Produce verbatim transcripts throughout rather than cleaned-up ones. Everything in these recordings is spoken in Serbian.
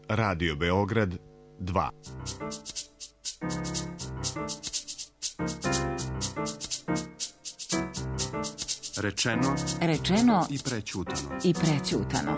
Radio Beograd dva. Rečeno, rečeno i prećutano. I prećutano.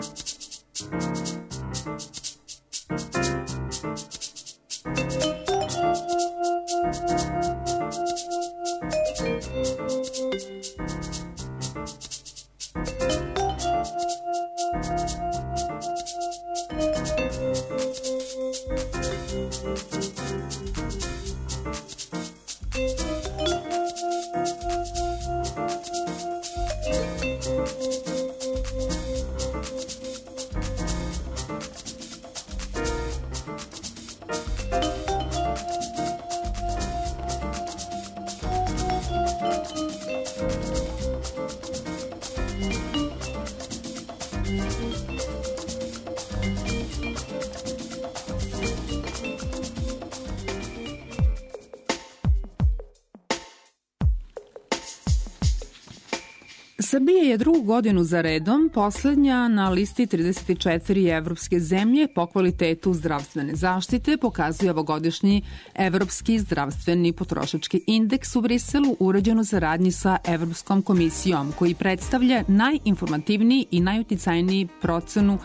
Srbija je drugu godinu za redom poslednja na listi trideset četiri evropske zemlje po kvalitetu zdravstvene zaštite, pokazuje ovogodišnji Evropski zdravstveni potrošački indeks u Briselu, urađen u saradnji sa Evropskom komisijom, koji predstavlja najinformativniji i najuticajniji procenu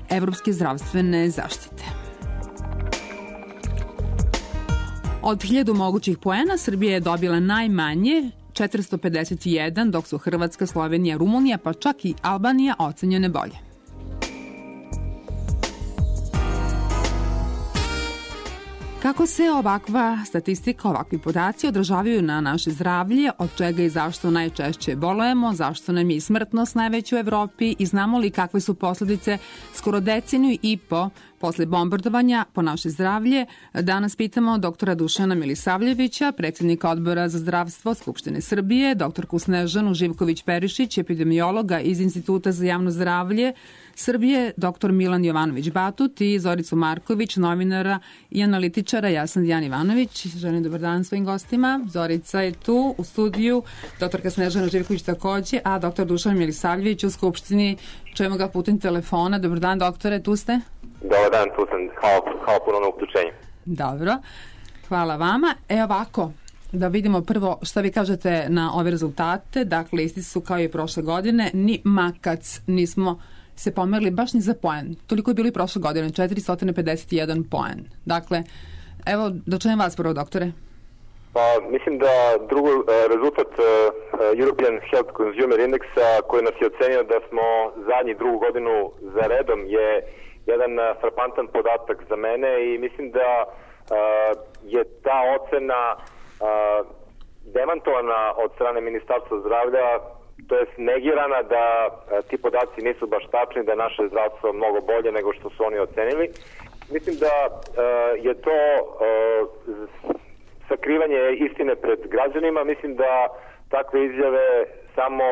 evropske zdravstvene zaštite. Od hiljadu mogućih poena Srbija je dobila najmanje, četiristo pedeset jedan, dok su Hrvatska, Slovenija, Rumunija, pa čak i Albanija ocenjene bolje. Kako se ovakva statistika, ovakvi podaci odražavaju na naše zdravlje, od čega i zašto najčešće bolujemo, zašto nam je i smrtnost najveća u Evropi i znamo li kakve su posledice skoro deceniju i po posle bombardovanja po naše zdravlje, danas pitamo doktora Dušana Milisavljevića, predsjednika Odbora za zdravstvo Skupštine Srbije, doktorku Snežanu Živković-Perišić, epidemiologa iz Instituta za javno zdravlje Srbije, doktor Milan Jovanović-Batut i Zoricu Marković, novinara i analitičara. Ja sam Dijan Ivanović. Želim dobar dan svojim gostima. Zorica je tu u studiju, doktorka Snežana Živković takođe, a doktor Dušan Milisavljević u Skupštini. Čujemo ga putem telefona. Dobar dan, doktore, tu ste? Dobar dan, tu sam. Hvala, hvala puno na uključenju. Dobro, hvala vama. E ovako, da vidimo prvo šta vi kažete na ove rezultate. Dakle, isti su kao i prošle godine. Ni makac nismo se pomerili baš ni za poen. Toliko je bilo i prošle godine, četiristo pedeset jedan poen. Dakle, evo, da čujem vas prvo, doktore. Pa, mislim da drugo, rezultat European Health Consumer Indexa, koji nas je ocenio da smo zadnji drugu godinu za redom, je jedan frapantan podatak za mene i mislim da je ta ocena demantovana od strane Ministarstva zdravlja, to je negirana da ti podaci nisu baš tačni, da je naše zdravstvo mnogo bolje nego što su oni ocenili. Mislim da je to sakrivanje istine pred građanima. Mislim da takve izjave samo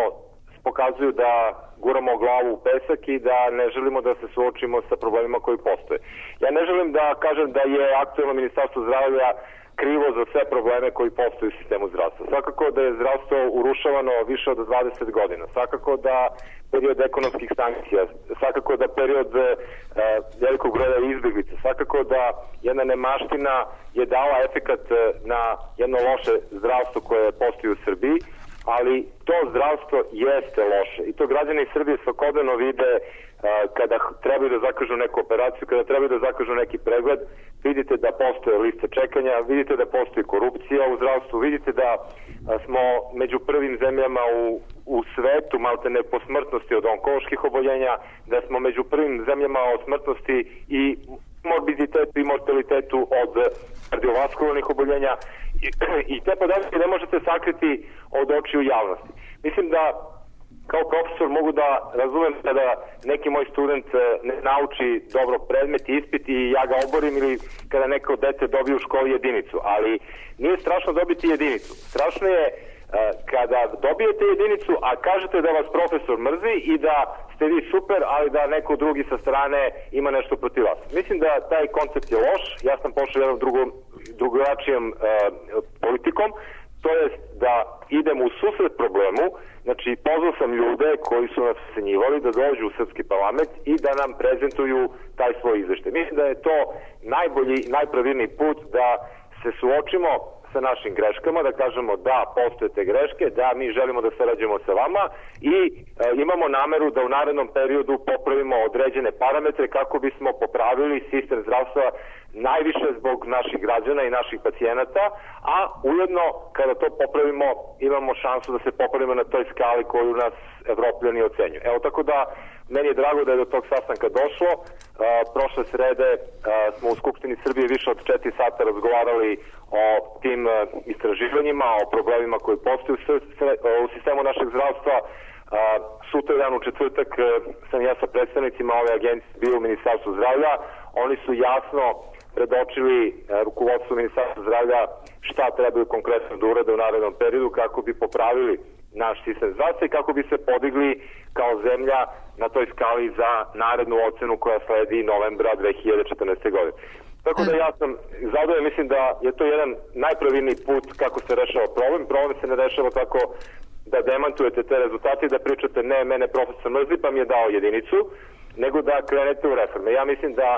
pokazuju da guramo glavu u pesak i da ne želimo da se suočimo sa problemima koji postoje. Ja ne želim da kažem da je aktuelno Ministarstvo zdravlja krivo za sve probleme koji postoje u sistemu zdravstva. Svakako da je zdravstvo urušavano više od dvadeset godina. Svakako da period ekonomskih sankcija, svakako da period e, velikog broja izbjeglica, svakako da jedna nemaština je dala efekat na jedno loše zdravstvo koje postoji u Srbiji, ali to zdravstvo jeste loše i to građani Srbije svakodnevno vide uh, kada trebaju da zakažu neku operaciju, kada trebaju da zakažu neki pregled. Vidite da postoje liste čekanja, vidite da postoji korupcija u zdravstvu, vidite da uh, smo među prvim zemljama u, u svetu maltene po smrtnosti od onkoloških oboljenja, da smo među prvim zemljama od smrtnosti i morbiditetu i mortalitetu od kardiovaskularnih oboljenja i, i te podatke ne možete sakriti od očiju javnosti. Mislim da kao profesor mogu da razumem kada neki moj student ne nauči dobro predmet i ispit i ja ga oborim ili kada neko dete dobije u školi jedinicu, ali nije strašno dobiti jedinicu. Strašno je kada dobijete jedinicu, a kažete da vas profesor mrzi i da ste vi super, ali da neko drugi sa strane ima nešto protiv vas. Mislim da taj koncept je loš. Ja sam pošao jednom drugom, drugačijom uh, politikom. to jest da idemo u susret problemu, znači pozvao sam ljude koji su nas ocenjivali da dođu u srpski parlament i da nam prezentuju taj svoj izveštaj. Mislim da je to najbolji, najpravilniji put da se suočimo sa našim greškama, da kažemo da postoje te greške, da mi želimo da sarađujemo sa vama i e, imamo nameru da u narednom periodu popravimo određene parametre kako bismo popravili sistem zdravstva najviše zbog naših građana i naših pacijenata, a ujedno kada to popravimo imamo šansu da se popravimo na toj skali koju nas Evropljani ocenjuju. Evo, tako da meni je drago da je do tog sastanka došlo. Uh, prošle srede uh, smo u Skupštini Srbije više od četiri sata razgovarali o tim uh, istraživanjima, o problemima koji postoje u, u sistemu našeg zdravstva. Uh, sutra dan u četvrtak uh, sam ja sa predstavnicima ove agencije bio u Ministarstvu zdravlja. Oni su jasno predočili uh, rukovodstvu Ministarstva zdravlja šta trebaju konkretno da urade u narednom periodu kako bi popravili naš sistem zdravstva i kako bi se podigli kao zemlja na toj skali za narednu ocenu koja sledi novembra dve hiljade četrnaeste. godine. Tako da ja sam zadovoljan, mislim da je to jedan najpravilniji put kako se rešava problem. Problem se ne rešava tako da demantujete te rezultate i da pričate ne, mene profesor mrzi pa mi je dao jedinicu, nego da krenete u reforme. Ja mislim da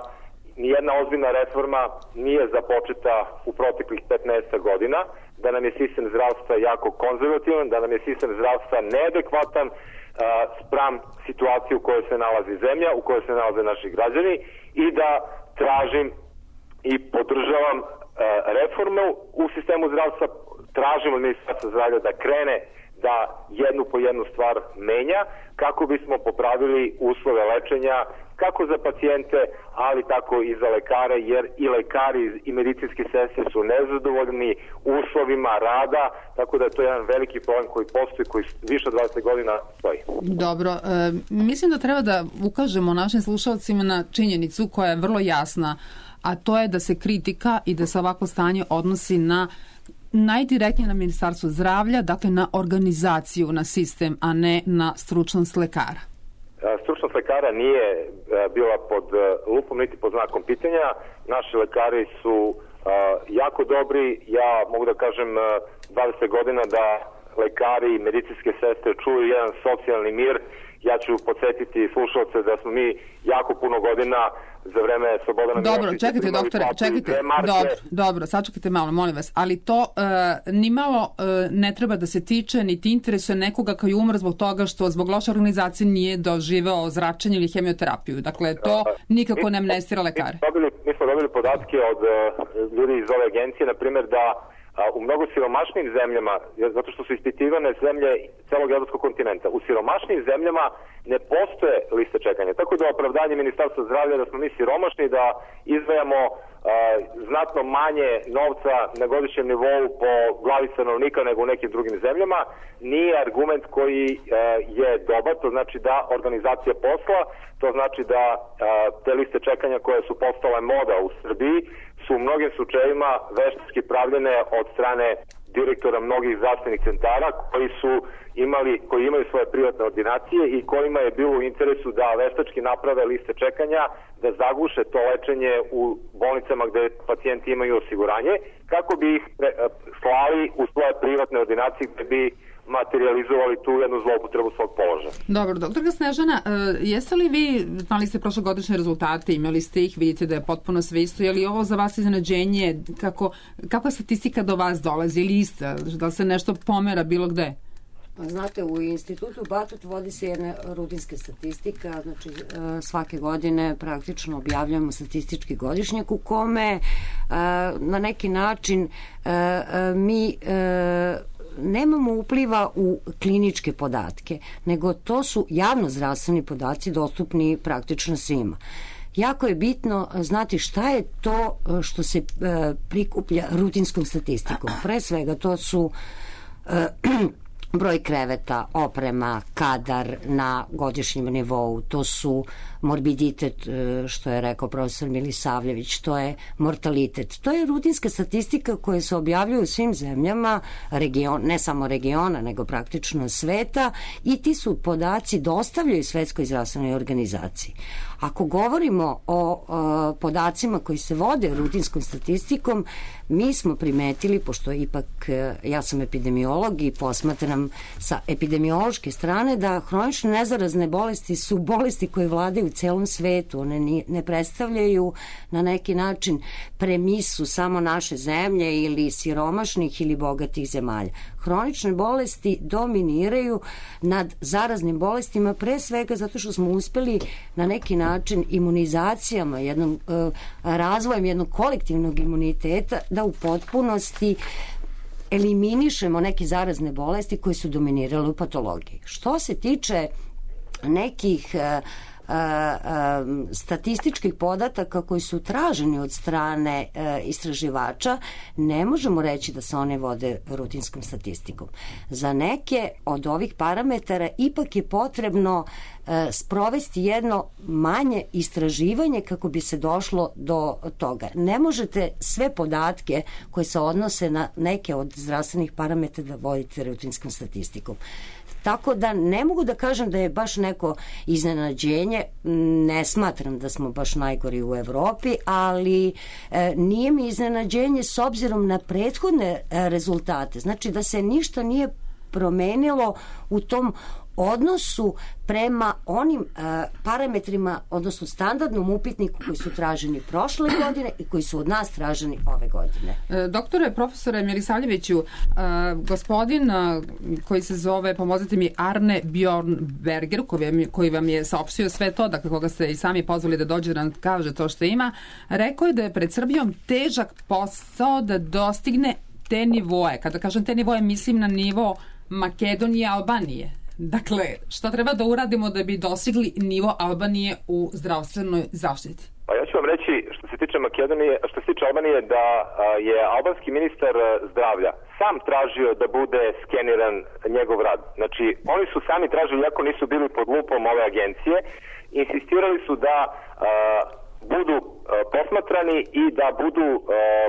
nijedna ozbiljna reforma nije započeta u proteklih petnaest godina, da nam je sistem zdravstva jako konzervativan, da nam je sistem zdravstva neadekvatan uh, spram situacije u kojoj se nalazi zemlja, u kojoj se nalaze naši građani i da tražim i podržavam uh, reformu u sistemu zdravstva, tražim od Ministarstva zdravlja da krene da jednu po jednu stvar menja kako bismo popravili uslove lečenja kako za pacijente, ali tako i za lekare, jer i lekari i medicinski sestre su nezadovoljni uslovima rada, tako da je to jedan veliki problem koji postoji, koji više od dvadeset godina stoji. Dobro, e, mislim da treba da ukažemo našim slušalcima na činjenicu koja je vrlo jasna, a to je da se kritika i da se ovako stanje odnosi na najdirektnije na Ministarstvo zdravlja, dakle na organizaciju, na sistem, a ne na stručnost lekara. Stručnost lekara nije bila pod lupom niti pod znakom pitanja. Naši lekari su jako dobri. Ja mogu da kažem dvadeset godina da lekari i medicinske sestre čuju jedan socijalni mir. Ja ću podsjetiti slušalce da smo mi jako puno godina za vreme Slobodana Dobro, Miloševića čekajte doktore, čekajte. Dobro, dobro, sačekajte malo, molim vas. Ali to uh, nimalo uh, ne treba da se tiče niti interesuje nekoga koji umre zbog toga što zbog loše organizacije nije doživeo zračenje ili hemioterapiju. Dakle, to nikako ne amnestira lekare. Mi smo dobili, mi smo dobili podatke od uh, ljudi iz ove agencije, na primjer da u mnogo siromašnijim zemljama, zato što su ispitivane zemlje celog evropskog kontinenta, u siromašnijim zemljama ne postoje liste čekanja. Tako da opravdanje Ministarstva zdravlja da smo mi siromašni, da izdvajamo uh, znatno manje novca na godišnjem nivou po glavi stanovnika nego u nekim drugim zemljama, nije argument koji uh, je dobar. To znači da organizacija posla, to znači da uh, te liste čekanja koje su postale moda u Srbiji su u mnogim slučajevima veštački pravljene od strane direktora mnogih zdravstvenih centara koji su imali, koji imaju svoje privatne ordinacije i kojima je bilo u interesu da veštački naprave liste čekanja, da zaguše to lečenje u bolnicama gde pacijenti imaju osiguranje, kako bi ih slali u svoje privatne ordinacije gde bi materializovali tu jednu zloupotrebu svog položaja. Dobro, doktorka Snežana, jeste li vi, znali ste prošlogodišnje rezultate, imali ste ih, vidite da je potpuno sve isto, je li ovo za vas iznenađenje, kako, kakva statistika do vas dolazi ili ista, da se nešto pomera bilo gde? Znate, u institutu Batut vodi se jedna rutinska statistika, znači svake godine praktično objavljamo statistički godišnjak u kome na neki način mi nemamo upliva u kliničke podatke, nego to su javnozdravstveni podaci dostupni praktično svima. Jako je bitno znati šta je to što se prikuplja rutinskom statistikom. Pre svega to su broj kreveta, oprema, kadar na godišnjem nivou, to su morbiditet, što je rekao profesor Milisavljević, to je mortalitet. To je rutinska statistika koja se objavljuje u svim zemljama, region, ne samo regiona, nego praktično sveta, i ti su podaci dostavljaju Svetskoj zdravstvenoj organizaciji. Ako govorimo o, o podacima koji se vode rutinskom statistikom, mi smo primetili, pošto ipak ja sam epidemiolog i posmatram sa epidemiološke strane, da hronične nezarazne bolesti su bolesti koje vladaju u celom svetu. One ne predstavljaju na neki način premisu samo naše zemlje ili siromašnih ili bogatih zemalja. Hronične bolesti dominiraju nad zaraznim bolestima, pre svega zato što smo uspeli na neki način imunizacijama, jednom, uh, razvojem jednog kolektivnog imuniteta da u potpunosti eliminišemo neke zarazne bolesti koje su dominirale u patologiji. Što se tiče nekih uh, Uh, uh, statističkih podataka koji su traženi od strane uh, istraživača, ne možemo reći da se one vode rutinskom statistikom. Za neke od ovih parametara ipak je potrebno uh, sprovesti jedno manje istraživanje kako bi se došlo do toga. Ne možete sve podatke koje se odnose na neke od zdravstvenih parametara da vodite rutinskom statistikom. Tako da ne mogu da kažem da je baš neko iznenađenje, ne smatram da smo baš najgori u Evropi, ali e, nije mi iznenađenje s obzirom na prethodne e, rezultate. Znači da se ništa nije promenilo u tom odnosu prema onim uh, parametrima, odnosno standardnom upitniku koji su traženi prošle godine i koji su od nas traženi ove godine. E, doktore, profesore Milisavljeviću, uh, gospodin uh, koji se zove, pomozite mi, Arne Bjornberger, koji vam, koji vam je saopštio sve to, dakle koga ste i sami pozvali da dođe da nam kaže to što ima, rekao je da je pred Srbijom težak posao da dostigne te nivoe. Kada kažem te nivoe, mislim na nivo Makedonije i Albanije. Dakle, šta treba da uradimo da bi dosigli nivo Albanije u zdravstvenoj zaštiti? Pa ja ću vam reći, što se tiče Makedonije, što se tiče Albanije, da je albanski ministar zdravlja sam tražio da bude skeniran njegov rad. Znači, oni su sami tražili, iako nisu bili pod lupom ove agencije, insistirali su da a, budu a, posmatrani i da budu a,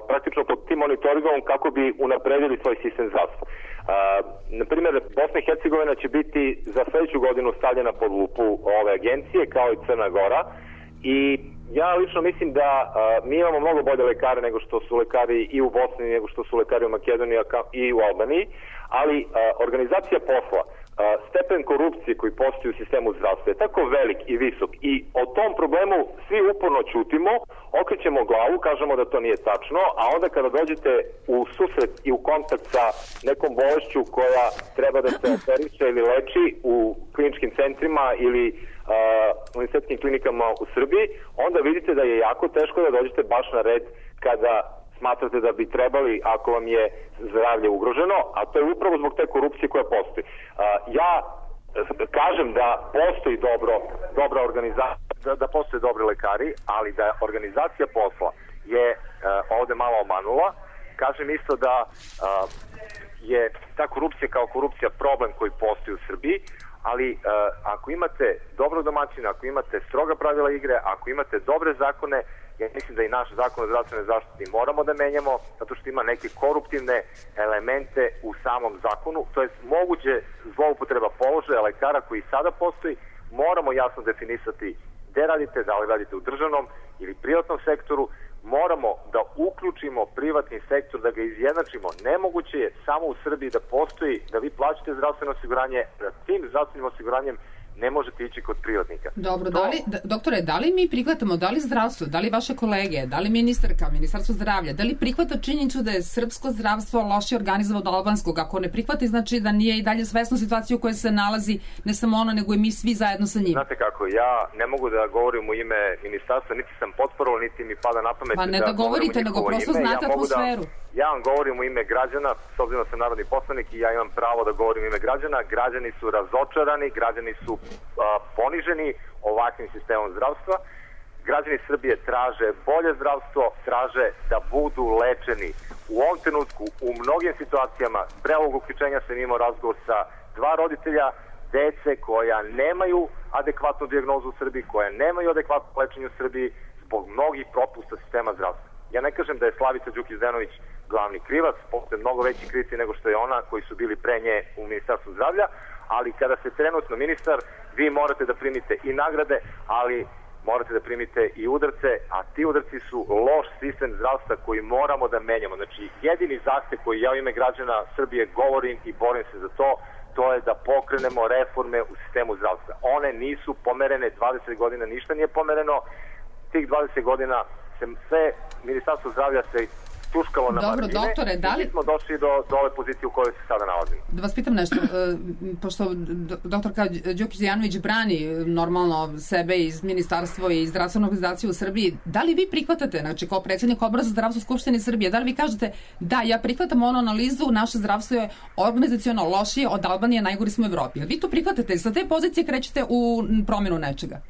praktično pod tim monitoringom kako bi unapredili svoj sistem zdravstva. Uh, na primjer, Bosna i Hercegovina će biti za sledeću godinu stavljena pod lupu ove agencije, kao i Crna Gora, i ja lično mislim da uh, mi imamo mnogo bolje lekare nego što su lekari i u Bosni, nego što su lekari u Makedoniji i u Albaniji, ali uh, organizacija posla, uh, stepen korupcije koji postoji u sistemu zdravstva je tako velik i visok i o tom problemu svi uporno ćutimo, okrećemo glavu, kažemo da to nije tačno, a onda kada dođete u susret i u kontakt sa nekom bolešću koja treba da se operiše ili leči u kliničkim centrima ili uh, univerzitetskim klinikama u Srbiji, onda vidite da je jako teško da dođete baš na red kada smatrate da bi trebali, ako vam je zdravlje ugroženo, a to je upravo zbog te korupcije koja postoji. Uh, ja kažem da postoji dobro, dobra organizacija, da, da postoje dobri lekari, ali da organizacija posla je uh, ovde malo omanula. Kažem isto da uh, je ta korupcija kao korupcija problem koji postoji u Srbiji, ali uh, ako imate dobrog domaćina, ako imate stroga pravila igre, ako imate dobre zakone, ja mislim da i naš zakon o zdravstvenoj zaštiti moramo da menjamo, zato što ima neke koruptivne elemente u samom zakonu, to je moguće zloupotreba položaja lekara koji sada postoji, moramo jasno definisati gde radite, da li radite u državnom ili privatnom sektoru, moramo da uključimo privatni sektor, da ga izjednačimo. Nemoguće je samo u Srbiji da postoji, da vi plaćate zdravstveno osiguranje, da tim zdravstvenim osiguranjem ne možete ići kod privatnika. Dobro, to... da li, da, doktore, da li mi prihvatamo, da li zdravstvo, da li vaše kolege, da li ministarka, ministarstvo zdravlja, da li prihvata činjenicu da je srpsko zdravstvo loše organizovano od albanskog? Ako ne prihvati, znači da nije i dalje svesno situaciju u kojoj se nalazi ne samo ono, nego i mi svi zajedno sa njim. Znate kako, ja ne mogu da govorim u ime ministarstva, niti sam potporovao, niti mi pada na pamet. Pa ne da, da govorite, nego prosto ime. znate ja atmosferu. Da, ja vam govorim u ime građana, s obzirom da sam narodni poslanik i ja imam pravo da govorim u ime građana. Građani su razočarani, građani su a, poniženi ovakvim sistemom zdravstva. Građani Srbije traže bolje zdravstvo, traže da budu lečeni. U ovom trenutku, u mnogim situacijama, pre ovog uključenja sam imao razgovor sa dva roditelja dece koja nemaju adekvatnu dijagnozu u Srbiji, koja nemaju adekvatno lečenje u Srbiji zbog mnogih propusta sistema zdravstva. Ja ne kažem da je Slavica Đukić-Zdenović glavni krivac, postoje mnogo veći krivci nego što je ona koji su bili pre nje u Ministarstvu zdravlja, ali kada ste trenutno ministar, vi morate da primite i nagrade, ali morate da primite i udarce, a ti udarci su loš sistem zdravstva koji moramo da menjamo. Znači, jedini zahtev koji ja u ime građana Srbije govorim i borim se za to, to je da pokrenemo reforme u sistemu zdravstva. One nisu pomerene, dvadeset godina ništa nije pomereno, tih dvadeset godina se sve Ministarstvo zdravlja se tuškalo na Dobro, margine doktore, da li... i smo došli do, do ove pozicije u kojoj se sada nalazimo. Da vas pitam nešto, pošto doktorka Đukić-Dejanović brani normalno sebe iz Ministarstva i zdravstvene organizacije u Srbiji, da li vi prihvatate, znači kao predsjednik Odbora za zdravstvo Skupštine Srbije, da li vi kažete da, ja prihvatam onu analizu, naše zdravstvo je organizaciono lošije od Albanije, najgori smo u Evropi. Vi to prihvatate, sa te pozicije krećete u promjenu nečega?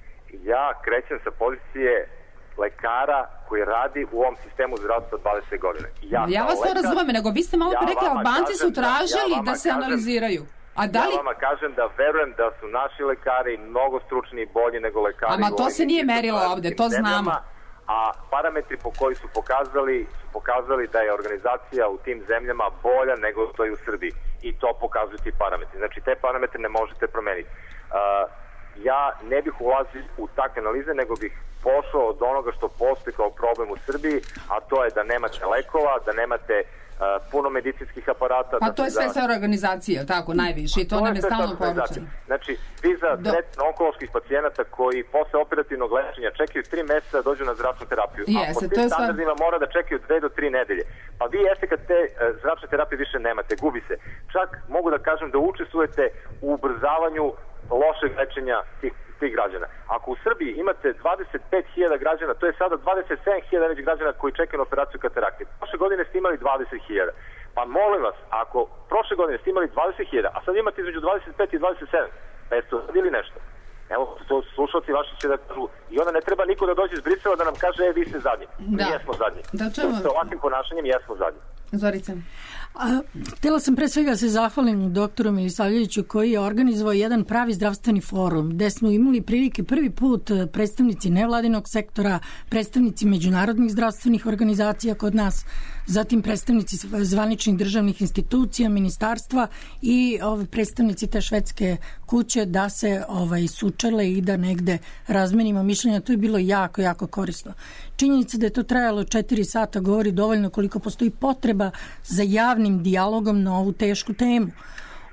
Ja krećem sa pozicije lekara koji radi u ovom sistemu zdravstva dvadeset godina. Ja, ja vas to razumem, nego vi ste malo ja rekli, Albanci su tražili da, ja da se kažem, analiziraju. A da li... Ja vama kažem da verujem da su naši lekari mnogo stručni i bolji nego lekari. Ama to se nije merilo ovde, to znamo. A parametri po koji su pokazali, su pokazali da je organizacija u tim zemljama bolja nego što je u Srbiji. I to pokazuju ti parametri. Znači, te parametre ne možete promeniti. Uh, ja ne bih ulazio u takve analize, nego bih pošao od onoga što postoji kao problem u Srbiji, a to je da nemate lekova, da nemate uh, puno medicinskih aparata. Pa da to je sve sve organizacije, tako, najviše, i to, to nam je stalno poručeno. Znači, vi za Do... tretman onkoloških pacijenata koji posle operativnog lečenja čekaju tri meseca da dođu na zračnu terapiju, Jeste, a po tim standardima sva... mora da čekaju dve do tri nedelje. Pa vi jeste kad te uh, zračne terapije više nemate, gubi se. Čak mogu da kažem da učestvujete u ubrzavanju lošeg lečenja tih, tih građana. Ako u Srbiji imate dvadeset pet hiljada građana, to je sada dvadeset sedam hiljada već građana koji čekaju na operaciju katarakte. Prošle godine ste imali dvadeset hiljada. Pa molim vas, ako prošle godine ste imali dvadeset hiljada, a sad imate između dvadeset pet i dvadeset sedam, pa jeste uradili nešto? Evo, to slušalci vaši će da kažu, i onda ne treba niko da dođe iz Brisela da nam kaže, e, vi ste zadnji. Da. Mi jesmo zadnji. Da, čemu... Sa ovakvim ponašanjem jesmo zadnji. Zorice. A, htjela sam pre svega se zahvalim doktoru Milisavljeviću koji je organizovao jedan pravi zdravstveni forum gde smo imali prilike prvi put predstavnici nevladinog sektora, predstavnici međunarodnih zdravstvenih organizacija kod nas, zatim predstavnici zvaničnih državnih institucija, ministarstva i ove predstavnici te švedske kuće da se ovaj, sučele i da negde razmenimo mišljenja. To je bilo jako, jako korisno. Činjenica da je to trajalo četiri sata govori dovoljno koliko postoji potreba za javnim dijalogom na ovu tešku temu.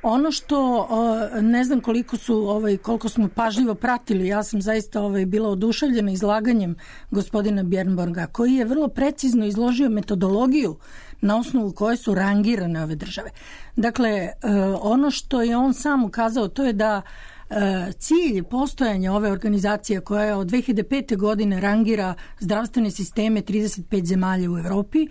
Ono što ne znam koliko su ovaj koliko smo pažljivo pratili, ja sam zaista ovaj bila oduševljena izlaganjem gospodina Bjernborga koji je vrlo precizno izložio metodologiju na osnovu koje su rangirane ove države. Dakle, ono što je on sam ukazao to je da cilj postojanja ove organizacije koja je od dve hiljade pete godine rangira zdravstvene sisteme trideset pet zemalja u Evropi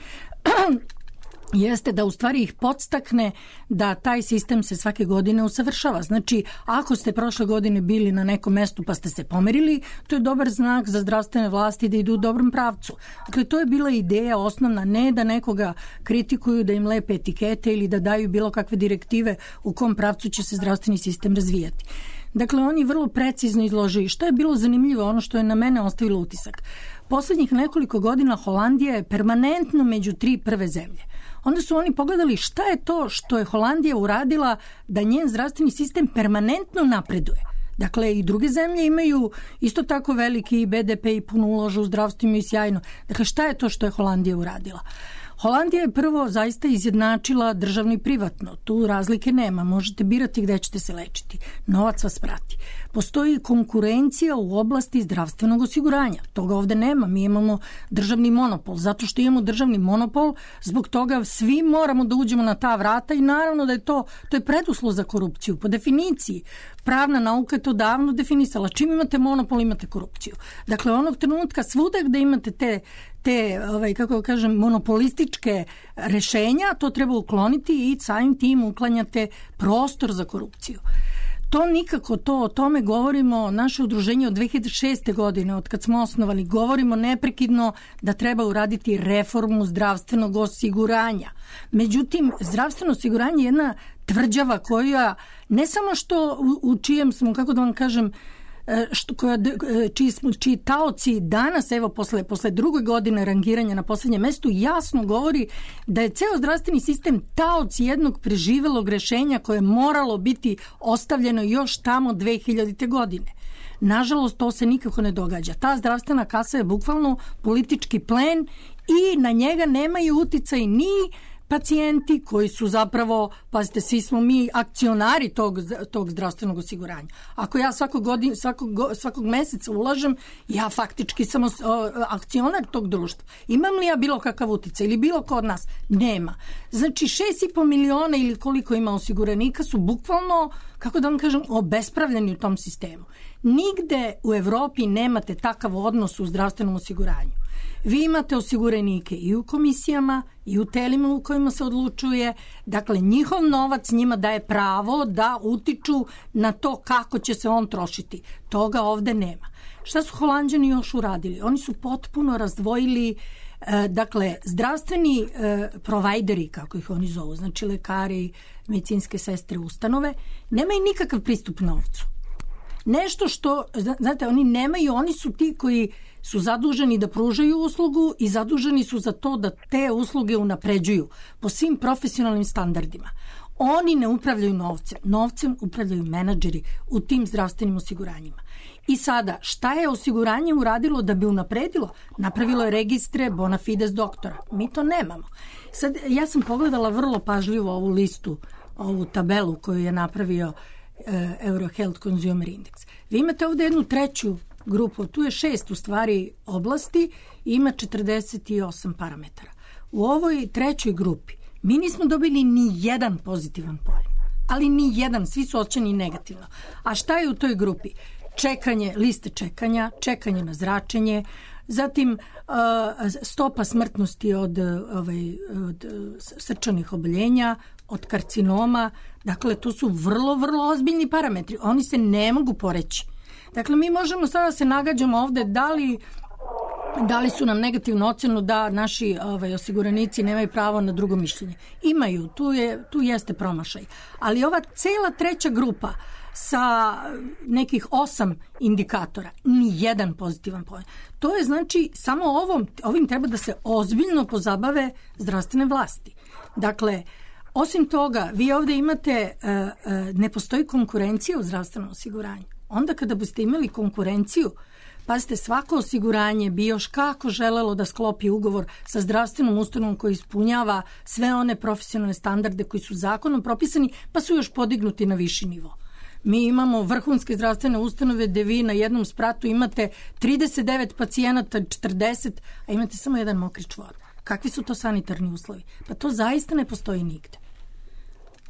jeste da u stvari ih podstakne da taj sistem se svake godine usavršava. Znači, ako ste prošle godine bili na nekom mestu pa ste se pomerili, to je dobar znak za zdravstvene vlasti da idu u dobrom pravcu. Dakle, to je bila ideja osnovna, ne da nekoga kritikuju, da im lepe etikete ili da daju bilo kakve direktive u kom pravcu će se zdravstveni sistem razvijati. Dakle, oni vrlo precizno izložili. Što je bilo zanimljivo, ono što je na mene ostavilo utisak. Poslednjih nekoliko godina Holandija je permanentno među tri prve zemlje. Onda su oni pogledali šta je to što je Holandija uradila da njen zdravstveni sistem permanentno napreduje. Dakle, i druge zemlje imaju isto tako veliki be de pe i puno ulažu u zdravstvo i sjajno. Dakle, šta je to što je Holandija uradila? Holandija je prvo zaista izjednačila državno i privatno. Tu razlike nema. Možete birati gde ćete se lečiti. Novac vas prati. Postoji konkurencija u oblasti zdravstvenog osiguranja. Toga ovde nema. Mi imamo državni monopol. Zato što imamo državni monopol, zbog toga svi moramo da uđemo na ta vrata i naravno da je to, to je preduslov za korupciju. Po definiciji, pravna nauka je to davno definisala. Čim imate monopol, imate korupciju. Dakle, onog trenutka svuda gde imate te te, ovaj, kako kažem, monopolističke rešenja, to treba ukloniti i samim tim uklanjate prostor za korupciju. To nikako, to o tome govorimo, naše udruženje od dve hiljade šeste godine, od kad smo osnovali, govorimo neprekidno da treba uraditi reformu zdravstvenog osiguranja. Međutim, zdravstveno osiguranje je jedna tvrđava koja ne samo što u, u čijem smo, kako da vam kažem, što, koja, čiji, smo, čiji taoci danas, evo posle, posle druge godine rangiranja na poslednjem mestu, jasno govori da je ceo zdravstveni sistem taoci jednog preživelog rešenja koje je moralo biti ostavljeno još tamo dve hiljadite godine. Nažalost, to se nikako ne događa. Ta zdravstvena kasa je bukvalno politički plen i na njega nemaju uticaj ni pacijenti koji su zapravo, pazite, svi smo mi akcionari tog, tog zdravstvenog osiguranja. Ako ja svakog, godin, svakog, svakog meseca ulažem, ja faktički sam o, akcionar tog društva. Imam li ja bilo kakav uticaj ili bilo ko od nas? Nema. Znači, šest i po miliona ili koliko ima osiguranika su bukvalno, kako da vam kažem, obespravljeni u tom sistemu. Nigde u Evropi nemate takav odnos u zdravstvenom osiguranju. Vi imate osiguranike i u komisijama i u telima u kojima se odlučuje. Dakle, njihov novac njima daje pravo da utiču na to kako će se on trošiti. Toga ovde nema. Šta su Holanđani još uradili? Oni su potpuno razdvojili e, dakle, zdravstveni e, provajderi, kako ih oni zovu, znači lekari, medicinske sestre, ustanove, nemaju nikakav pristup novcu. Nešto što, znate, oni nemaju, oni su ti koji su zaduženi da pružaju uslugu i zaduženi su za to da te usluge unapređuju po svim profesionalnim standardima. Oni ne upravljaju novcem. Novcem upravljaju menadžeri u tim zdravstvenim osiguranjima. I sada, šta je osiguranje uradilo da bi unapredilo? Napravilo je registre bona fides doktora. Mi to nemamo. Sad, ja sam pogledala vrlo pažljivo ovu listu, ovu tabelu koju je napravio Eurohealth Consumer Index. Vi imate ovdje jednu treću grupu, tu je šest u stvari oblasti i ima četrdeset osam parametara. U ovoj trećoj grupi mi nismo dobili ni jedan pozitivan poen, ali ni jedan, svi su ocenjeni negativno. A šta je u toj grupi? Čekanje, liste čekanja, čekanje na zračenje, zatim stopa smrtnosti od, ovaj, od srčanih oboljenja, od karcinoma. Dakle, to su vrlo, vrlo ozbiljni parametri. Oni se ne mogu poreći. Dakle, mi možemo sada se nagađamo ovde da li, da li su nam negativnu ocenu da naši ovaj, osiguranici nemaju pravo na drugo mišljenje. Imaju, tu, je, tu jeste promašaj. Ali ova cela treća grupa sa nekih osam indikatora, ni jedan pozitivan poen. To je znači samo ovom, ovim treba da se ozbiljno pozabave zdravstvene vlasti. Dakle, osim toga, vi ovdje imate, ne postoji konkurencija u zdravstvenom osiguranju. Onda kada biste imali konkurenciju, pazite, svako osiguranje bi još kako želelo da sklopi ugovor sa zdravstvenom ustanovom koji ispunjava sve one profesionalne standarde koji su zakonom propisani, pa su još podignuti na viši nivo. Mi imamo vrhunske zdravstvene ustanove gde vi na jednom spratu imate trideset devet pacijenata, četrdeset, a imate samo jedan mokri čvor. Kakvi su to sanitarni uslovi? Pa to zaista ne postoji nigde.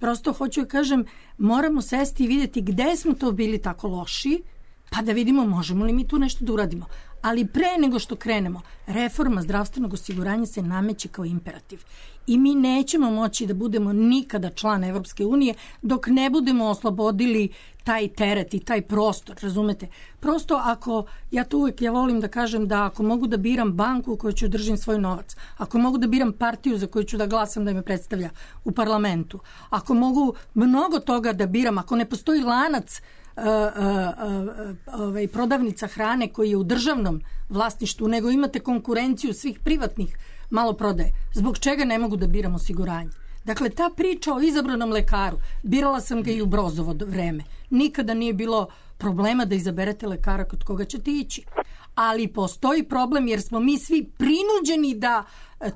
Prosto hoću da kažem, moramo sesti i vidjeti gde smo to bili tako loši, pa da vidimo možemo li mi tu nešto da uradimo. Ali pre nego što krenemo, reforma zdravstvenog osiguranja se nameće kao imperativ. I mi nećemo moći da budemo nikada član Evropske unije dok ne budemo oslobodili taj teret i taj prostor, razumete? Prosto ako, ja to uvijek ja volim da kažem da ako mogu da biram banku u kojoj ću držim svoj novac, ako mogu da biram partiju za koju ću da glasam da me predstavlja u parlamentu, ako mogu mnogo toga da biram, ako ne postoji lanac Uh, uh, uh, ovaj, prodavnica hrane koji je u državnom vlasništvu, nego imate konkurenciju svih privatnih maloprodaje. Zbog čega ne mogu da biram osiguranje? Dakle, ta priča o izabranom lekaru, birala sam ga i u Brozovo vreme. Nikada nije bilo problema da izaberete lekara kod koga ćete ići. Ali postoji problem jer smo mi svi prinuđeni da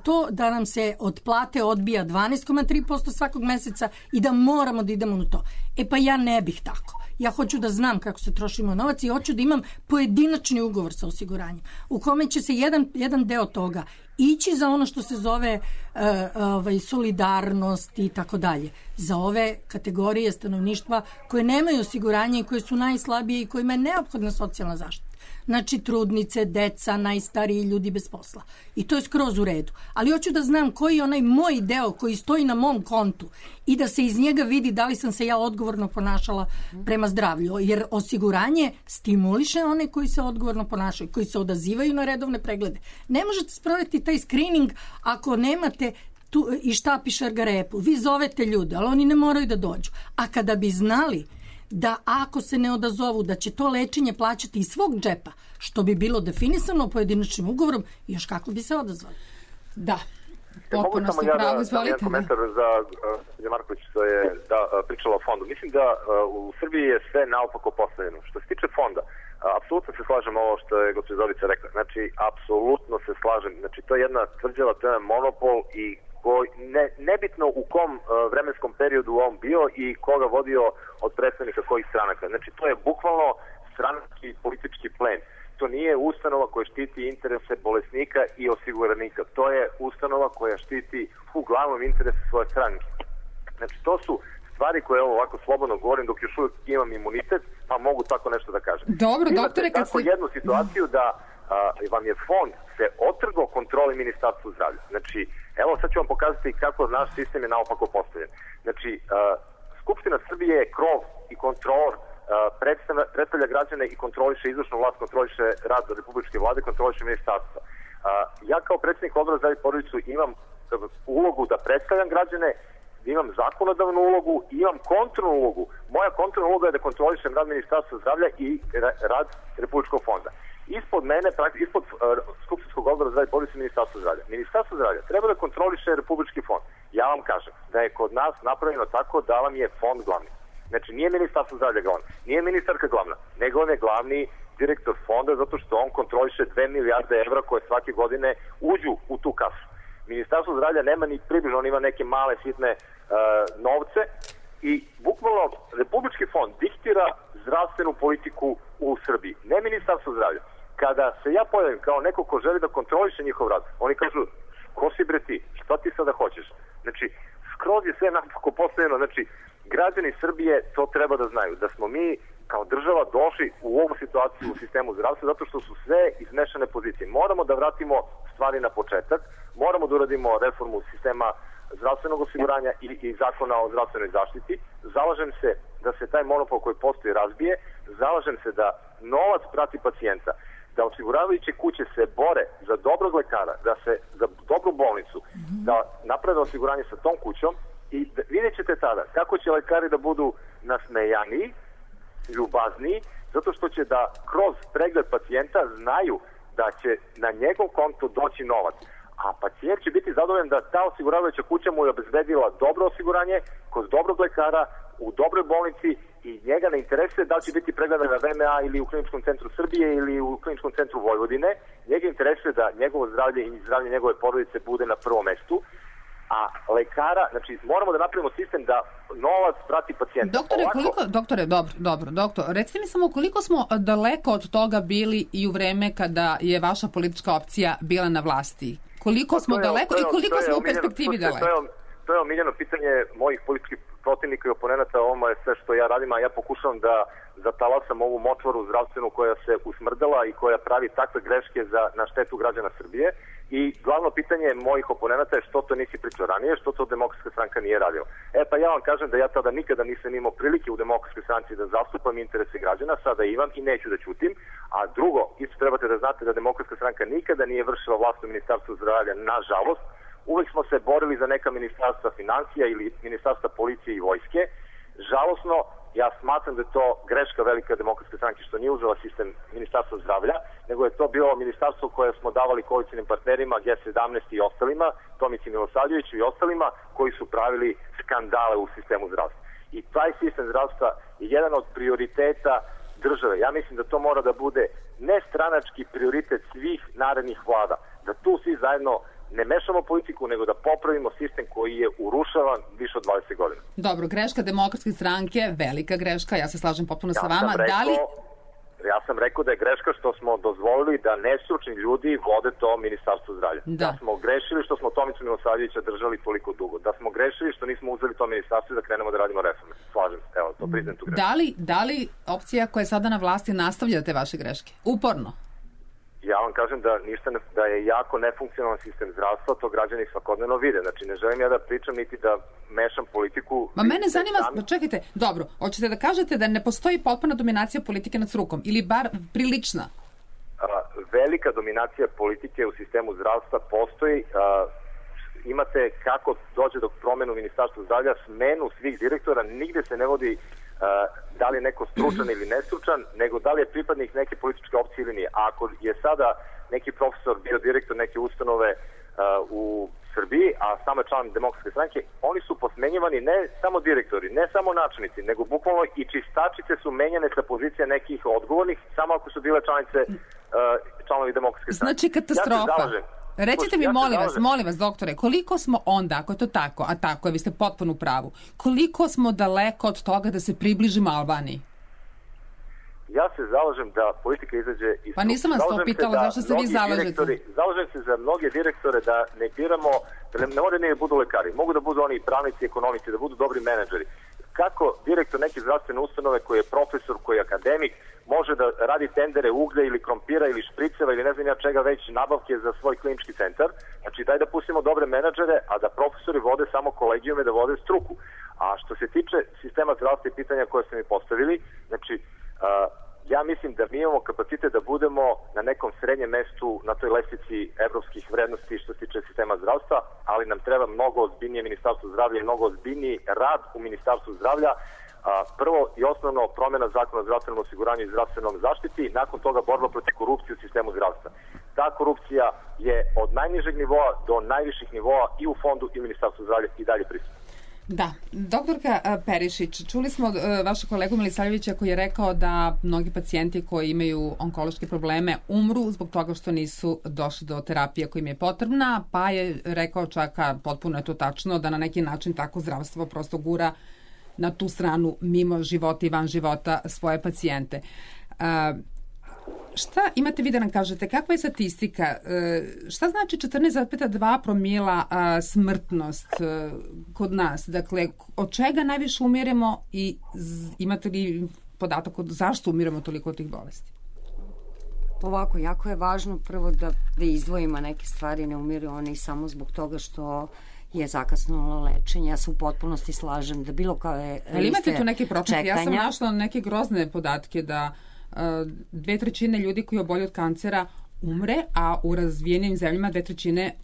to da nam se od plate odbija dvanaest zarez tri posto svakog meseca i da moramo da idemo u to. E pa ja ne bih tako. Ja hoću da znam kako se troši moj novac i hoću da imam pojedinačni ugovor sa osiguranjem u kome će se jedan, jedan deo toga ići za ono što se zove uh, ovaj, solidarnost i tako dalje. Za ove kategorije stanovništva koje nemaju osiguranje i koje su najslabije i kojima je neophodna socijalna zaštita. Znači trudnice, deca, najstariji ljudi bez posla. I to je skroz u redu. Ali hoću da znam koji je onaj moj deo koji stoji na mom kontu i da se iz njega vidi da li sam se ja odgovorno ponašala prema zdravlju. Jer osiguranje stimuliše one koji se odgovorno ponašaju, koji se odazivaju na redovne preglede. Ne možete sprovesti taj screening ako nemate tu i štapi šargarepu. Vi zovete ljude, ali oni ne moraju da dođu. A kada bi znali da ako se ne odazovu, da će to lečenje plaćati iz svog džepa, što bi bilo definisano pojedinačnim ugovorom, još kako bi se odazvali. Da. Potpuno ste ja pravo, da, izvolite. jedan komentar za uh, Marković što je da, uh, pričala o fondu. Mislim da uh, u Srbiji je sve naopako postavljeno. Što se tiče fonda, uh, apsolutno se slažem ovo što je gospođa Zorica rekla. Znači, apsolutno se slažem. Znači, to je jedna tvrđava, to je jedan monopol i koji, ne, nebitno u kom uh, vremenskom periodu on bio i koga vodio od predstavnika kojih stranaka. Znači, to je bukvalno stranački politički plen. To nije ustanova koja štiti interese bolesnika i osiguranika. To je ustanova koja štiti uglavnom interese svoje stranke. Znači, to su stvari koje ovo ovako slobodno govorim dok još uvijek imam imunitet, pa mogu tako nešto da kažem. Dobro, imate doktore, kad tako se... jednu situaciju da a, vam je fond se otrgao kontroli Ministarstva zdravlja. Znači, evo sad ću vam pokazati kako naš sistem je naopako postavljen. Znači, a, Skupština Srbije je krov i kontrolor, predstavlja, predstavlja građane i kontroliše izvršnu vlast, kontroliše rad republičke vlade, kontroliše ministarstva. Ja kao predsjednik Odbora za porodicu imam ulogu da predstavljam građane, imam zakonodavnu ulogu i imam kontrolnu ulogu. Moja kontrolna uloga je da kontrolišem rad Ministarstva zdravlja i rad Republičkog fonda. Ispod mene, ispod uh, Skupštinskog odbora za porodicu Ministarstva zdravlja. Ministarstvo zdravlja treba da kontroliše Republički fond. Ja vam kažem da je kod nas napravljeno tako da vam je fond glavni. Znači, nije Ministarstvo zdravlja glavna, nije ministarka glavna, nego on je glavni direktor fonda zato što on kontroliše dve milijarde evra koje svake godine uđu u tu kasu. Ministarstvo zdravlja nema ni približno, on ima neke male sitne uh, novce i bukvalno Republički fond diktira zdravstvenu politiku u Srbiji, ne Ministarstvo zdravlja. Kada se ja pojavim kao neko ko želi da kontroliše njihov rad, oni kažu, ko si bre ti, šta ti sada hoćeš? Znači, skroz je sve napako postavljeno, znači, građani Srbije to treba da znaju, da smo mi kao država došli u ovu situaciju u sistemu zdravstva zato što su sve izmešane pozicije. Moramo da vratimo stvari na početak, moramo da uradimo reformu sistema zdravstvenog osiguranja i, i zakona o zdravstvenoj zaštiti. Zalažem se da se taj monopol koji postoji razbije, zalažem se da novac prati pacijenta, da osiguravajuće kuće se bore za dobrog lekara, da se za dobru bolnicu, da naprave osiguranje sa tom kućom i da, vidjet ćete tada kako će lekari da budu nasmejaniji, ljubazniji, zato što će da kroz pregled pacijenta znaju da će na njegov konto doći novac. A pacijent će biti zadovoljan da ta osiguravajuća kuća mu je obezbedila dobro osiguranje kod dobrog lekara u dobroj bolnici i njega ne interesuje da li će biti pregledan na V M A ili u Kliničkom centru Srbije ili u Kliničkom centru Vojvodine. Njega interesuje da njegovo zdravlje i zdravlje njegove porodice bude na prvom mestu. A lekara, znači moramo da napravimo sistem da novac prati pacijenta. Doktore, Ovako... koliko, doktore, dobro, dobro, doktor, recite mi samo koliko smo daleko od toga bili i u vreme kada je vaša politička opcija bila na vlasti? Koliko smo je, daleko je, i koliko smo u perspektivi daleko? To je, to je omiljeno pitanje mojih političkih protivnika i oponenata, ovo je sve što ja radim, a ja pokušavam da zatalasam ovu močvaru zdravstvenu koja se usmrdala i koja pravi takve greške za, na štetu građana Srbije. I glavno pitanje mojih oponenata je što to nisi pričao ranije, što to Demokratska stranka nije radila. E pa ja vam kažem da ja tada nikada nisam imao prilike u Demokratskoj stranci da zastupam interese građana, sada imam i neću da ćutim. A drugo, isto trebate da znate da Demokratska stranka nikada nije vršila vlast u Ministarstvu zdravlja, nažalost. Uvek smo se borili za neka ministarstva financija ili ministarstva policije i vojske. Žalosno, ja smatram da je to greška velika Demokratske stranke što nije uzela sistem Ministarstva zdravlja, nego je to bilo ministarstvo koje smo davali koalicijnim partnerima G sedamnaest i ostalima, Tomici Milosavljeviću i ostalima, koji su pravili skandale u sistemu zdravstva. I taj sistem zdravstva je jedan od prioriteta države. Ja mislim da to mora da bude nestranački prioritet svih narednih vlada, da tu svi zajedno ne mešamo politiku, nego da popravimo sistem koji je urušavan više od dvadeset godina. Dobro, greška Demokratske stranke, velika greška, ja se slažem potpuno ja sa vama. Rekao, da li... Ja sam rekao da je greška što smo dozvolili da nestručni ljudi vode to Ministarstvo zdravlja. Da. da smo grešili što smo Tomicu Milosavljevića držali toliko dugo. Da smo grešili što nismo uzeli to ministarstvo da krenemo da radimo reforme. Slažem se, evo, to priznam tu grešku. Da li, da li opcija koja je sada na vlasti nastavlja te vaše greške? Uporno? Ja vam kažem da ništa ne, da je jako nefunkcionalan sistem zdravstva, to građani svakodnevno vide. Znači, ne želim ja da pričam niti da mešam politiku. Ma mene zanima, sami... čekajte, dobro, hoćete da kažete da ne postoji potpuna dominacija politike nad strukom, ili bar prilična? A, velika dominacija politike u sistemu zdravstva postoji. A, imate kako dođe do promenu u Ministarstvu zdravlja, smenu svih direktora, nigde se ne vodi Uh, da li je neko stručan ili nestručan, nego da li je pripadnik neke političke opcije ili nije. A ako je sada neki profesor bio direktor neke ustanove u Srbiji, a samo je član Demokratske stranke, oni su posmenjivani ne samo direktori, ne samo načelnici, nego bukvalno i čistačice su menjane sa pozicija nekih odgovornih, samo ako su bile članice uh, članovi Demokratske stranke. Znači katastrofa. Ja Recite mi, ja molim vas, molim vas, doktore, koliko smo onda, ako je to tako, a tako je, vi ste potpuno u pravu, koliko smo daleko od toga da se približimo Albaniji? Ja se zalažem da politika izađe iz... Pa nisam vas to pitala, zašto se vi zalažete? Zalažem se za mnoge direktore da ne biramo, da ne, ne moraju ne budu lekari, mogu da budu oni pravnici, ekonomici, da budu dobri menadžeri. Kako direktor neke zdravstvene ustanove koji je profesor, koji je akademik, može da radi tendere uglja ili krompira ili špriceva ili ne znam ja čega već nabavke za svoj klinički centar. Znači daj da pustimo dobre menadžere, a da profesori vode samo kolegijume, da vode struku. A što se tiče sistema zdravstva i pitanja koje ste mi postavili, znači Uh, ja mislim da mi imamo kapacitet da budemo na nekom srednjem mestu na toj lestvici evropskih vrednosti što se tiče sistema zdravstva, ali nam treba mnogo ozbiljnije ministarstvo zdravlja i mnogo ozbiljniji rad u ministarstvu zdravlja. Uh, prvo i osnovno promjena zakona o zdravstvenom osiguranju i zdravstvenom zaštiti, nakon toga borba protiv korupcije u sistemu zdravstva. Ta korupcija je od najnižeg nivoa do najviših nivoa i u fondu i u ministarstvu zdravlja i dalje prisutna. Da, doktorka Perišić, čuli smo vašeg kolegu Milisavljevića koji je rekao da mnogi pacijenti koji imaju onkološke probleme umru zbog toga što nisu došli do terapije koja im je potrebna, pa je rekao čak, a potpuno je to tačno, da na neki način tako zdravstvo prosto gura na tu stranu mimo života i van života svoje pacijente. Uh, Šta imate vi da nam kažete? Kakva je statistika? Šta znači četrnaest zarez dva promila smrtnost kod nas? Dakle, od čega najviše umiremo i imate li podatak od zašto umiremo toliko od tih bolesti? Ovako, jako je važno prvo da, da izdvojimo neke stvari, ne umiru oni samo zbog toga što je zakasnilo lečenje. Ja se u potpunosti slažem da bilo kao je liste imate tu neke procente? Ja sam našla neke grozne podatke da dve trećine ljudi koji obolju od kancera umre, a u razvijenim zemljama dve trećine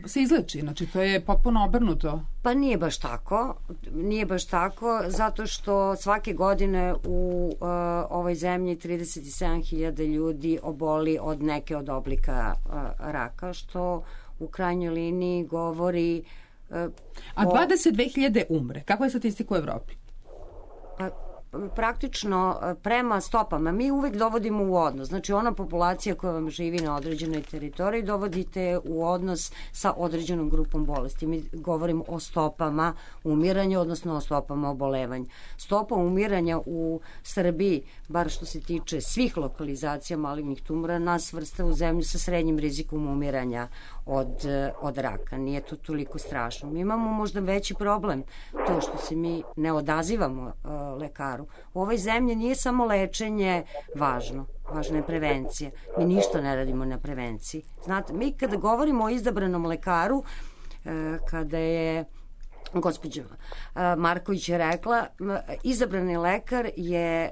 se izleči. Znači, to je potpuno obrnuto. Pa nije baš tako. Nije baš tako, zato što svake godine u uh, ovoj zemlji trideset sedam hiljada ljudi oboli od neke od oblika uh, raka, što u krajnjoj liniji govori... Uh, a dvadeset dve hiljade umre. Kakva je statistika u Evropi? Pa praktično prema stopama mi uvek dovodimo u odnos, znači ona populacija koja vam živi na određenoj teritoriji dovodite u odnos sa određenom grupom bolesti. Mi govorimo o stopama umiranja, odnosno o stopama obolevanja. Stopa umiranja u Srbiji, bar što se tiče svih lokalizacija malignih tumora, nas vrsta u zemlju sa srednjim rizikom umiranja od, od raka. Nije to toliko strašno. Mi imamo možda veći problem, to što se mi ne odazivamo uh, lekaru. U ovoj zemlji nije samo lečenje važno, važna je prevencija. Mi ništa ne radimo na prevenciji. Znate, mi kada govorimo o izabranom lekaru, kada je gospođa Marković je rekla, izabrani lekar je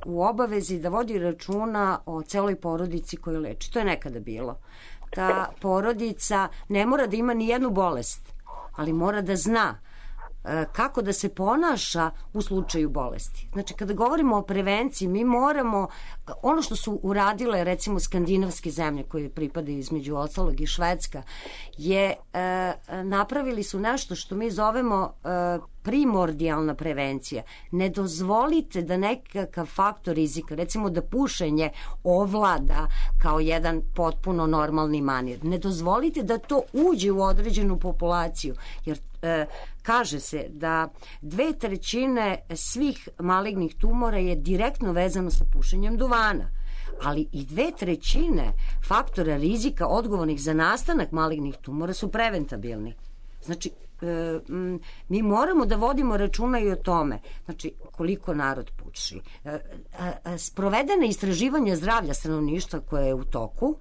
u obavezi da vodi računa o celoj porodici koju leči. To je nekada bilo. Ta porodica ne mora da ima ni jednu bolest, ali mora da zna kako da se ponaša u slučaju bolesti. Znači, kada govorimo o prevenciji, mi moramo, ono što su uradile recimo skandinavske zemlje koje pripadaju između ostalog i Švedska, je e, napravili su nešto što mi zovemo e, primordijalna prevencija. Ne dozvolite da nekakav faktor rizika, recimo da pušenje ovlada kao jedan potpuno normalni manir. Ne dozvolite da to uđe u određenu populaciju, jer e, kaže se da dve trećine svih malignih tumora je direktno vezano sa pušenjem duvana, ali i dve trećine faktora rizika odgovornih za nastanak malignih tumora su preventabilni. Znači, e, m, mi moramo da vodimo računa i o tome, znači koliko narod puši. E, a, sprovedene istraživanja zdravlja stanovništva koje je u toku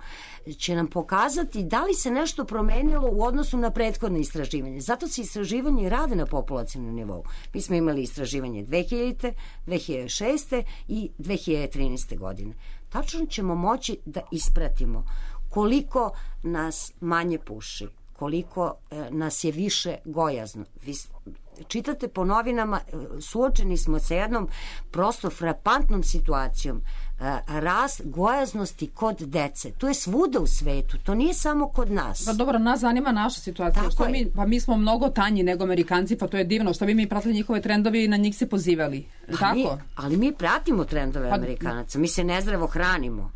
će nam pokazati da li se nešto promenilo u odnosu na prethodne istraživanje. Zato se istraživanje rade na populacijnom nivou. Mi smo imali istraživanje dve hiljadite, dve hiljade šeste i dve hiljade trinaeste godine. Tačno ćemo moći da ispratimo koliko nas manje puši, koliko e, nas je više gojazno. Vi, čitate po novinama, suočeni smo sa jednom prosto frapantnom situacijom. Rast gojaznosti kod dece. To je svuda u svetu, to nije samo kod nas. Pa dobro, nas zanima naša situacija. Što mi, pa mi smo mnogo tanji nego Amerikanci, pa to je divno. Što bi mi pratili njihove trendove i na njih se pozivali. Tako? Mi, ali mi pratimo trendove pa, Amerikanaca. Mi se nezdravo hranimo.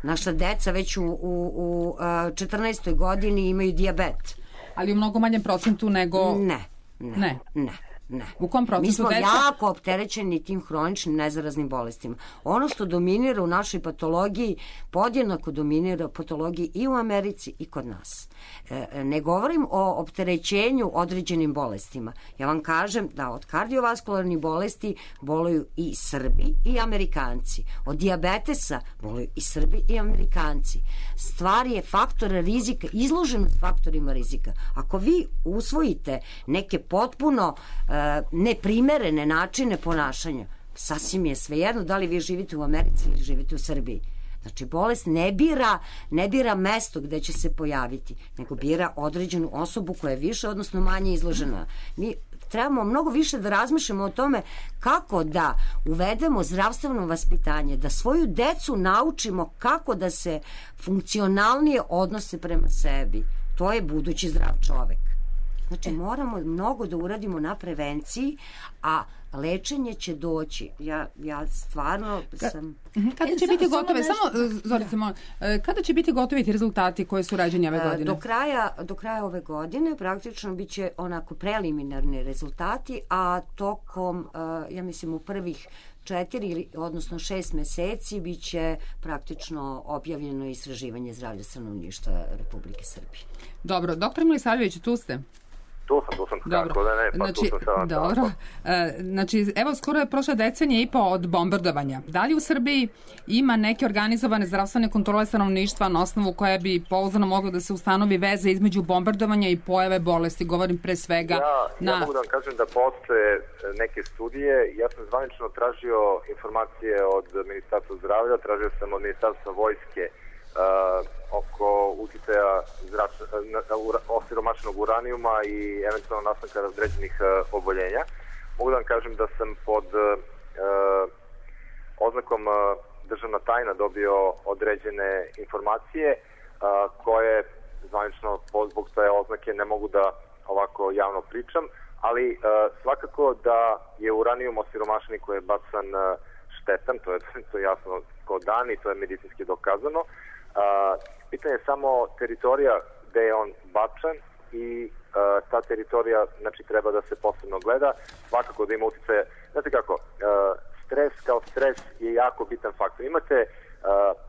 Naša deca već u, u, u četrnaestoj godini imaju dijabet. Ali u mnogo manjem procentu nego... Ne, ne, ne. ne. Ne. U kom procesu? Mi smo deca? jako opterećeni tim hroničnim nezaraznim bolestima. Ono što dominira u našoj patologiji podjednako dominira patologiji i u Americi i kod nas. E, ne govorim o opterećenju određenim bolestima. Ja vam kažem da od kardiovaskularnih bolesti boluju i Srbi i Amerikanci. Od dijabetesa boluju i Srbi i Amerikanci. Stvar je faktora rizika, izloženost faktorima rizika. Ako vi usvojite neke potpuno neprimerene načine ponašanja, sasvim je svejedno da li vi živite u Americi ili živite u Srbiji. Znači, bolest ne bira, ne bira mesto gde će se pojaviti, nego bira određenu osobu koja je više, odnosno manje izložena. Mi trebamo mnogo više da razmišljamo o tome kako da uvedemo zdravstveno vaspitanje, da svoju decu naučimo kako da se funkcionalnije odnose prema sebi. To je budući zdrav čovek. Znači, moramo mnogo da uradimo na prevenciji, a lečenje će doći. Ja, ja stvarno sam... Kada će biti gotove, samo, Zorice, molim, kada će biti gotovi ti rezultati koji su rađeni ove godine? Do kraja, do kraja ove godine praktično bit će onako preliminarni rezultati, a tokom, ja mislim, u prvih četiri, odnosno šest meseci bit će praktično objavljeno istraživanje zdravlja stanovništva Republike Srbije. Dobro, doktor Milisavljević, tu ste? Tu sam, tu sam, dobro. Tako da ne, pa znači, tu sam sada. Dobro, e, znači, evo, skoro je prošla decenija i po od bombardovanja. Da li u Srbiji ima neke organizovane zdravstvene kontrole stanovništva na osnovu koje bi pouzdano moglo da se ustanovi veze između bombardovanja i pojave bolesti? Govorim pre svega ja, na... Ja mogu da vam kažem da postoje neke studije. Ja sam zvanično tražio informacije od Ministarstva zdravlja, tražio sam od Ministarstva vojske Uh, oko uticaja osiromašenog uranijuma i eventualno nastanka određenih uh, oboljenja. Mogu da vam kažem da sam pod uh, oznakom uh, državna tajna dobio određene informacije uh, koje zvanično zbog te oznake ne mogu da ovako javno pričam, ali uh, svakako da je uranijum osiromašeni koji je bacan uh, štetan, to je, to je jasno kao dan i to je medicinski dokazano. Uh, pitanje je samo teritorija gde je on bačan i uh, ta teritorija, znači, treba da se posebno gleda, svakako da ima uticaje. Znate kako, uh, stres kao stres je jako bitan faktor. Imate uh,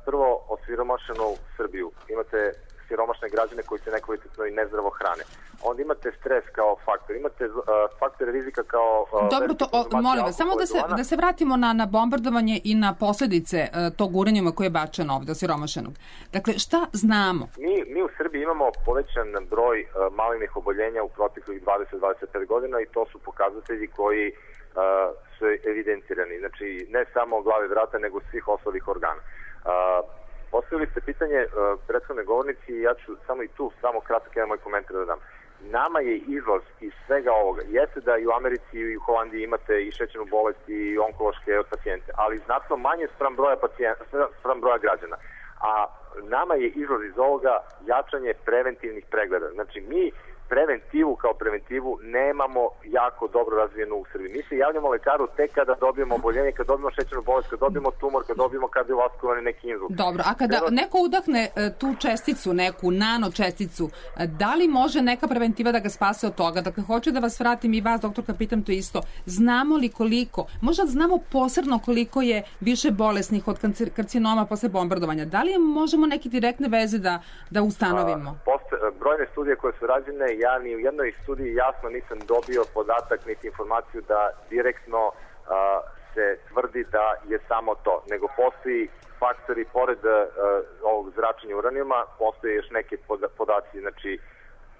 prvo osiromašenu Srbiju, imate siromašne građane koji se nekvalitetno i nezdravo hrane. Onda imate stres kao faktor, imate uh, faktore rizika kao... Uh, Dobro, to, o, molim vas, samo da se, da se vratimo na, na bombardovanje i na posledice uh, tog uranijuma koje je bačeno ovde, osiromašenog. Dakle, šta znamo? Mi, mi u Srbiji imamo povećan broj uh, malignih oboljenja u proteklih dvadeset do dvadeset pet godina i to su pokazatelji koji uh, su evidentirani. Znači, ne samo glave vrata, nego svih ostalih organa. Uh, Postavili ste pitanje uh, prethodne govornici i ja ću samo i tu samo kratak jedan moj komentar da dam. Nama je izlaz iz svega ovoga. Jeste da i u Americi i u Holandiji imate i šećernu bolest i onkološke pacijente, ali znatno manje spram broja, pacijenta, spram broja građana. A nama je izlaz iz ovoga jačanje preventivnih pregleda. Znači, mi preventivu kao preventivu nemamo jako dobro razvijenu u Srbiji. Mi se javljamo lekaru tek kada dobijemo oboljenje, kada dobijemo šećernu bolest, kada dobijemo tumor, kada dobijemo kardiovaskularni neki inzult. Dobro, a kada Treba... neko udahne tu česticu, neku nano česticu, da li može neka preventiva da ga spase od toga? Dakle, hoću da vas vratim i vas, doktorka, pitam to isto. Znamo li koliko, možda znamo posebno koliko je više bolesnih od karcinoma posle bombardovanja? Da li možemo neke direktne veze da, da ustanovimo? A, poste, brojne studije koje su rađene, ja ni u jednoj studiji jasno nisam dobio podatak niti informaciju da direktno a, se tvrdi da je samo to, nego postoji faktori pored a, ovog zračenja uranijuma, postoje još neke podaci, znači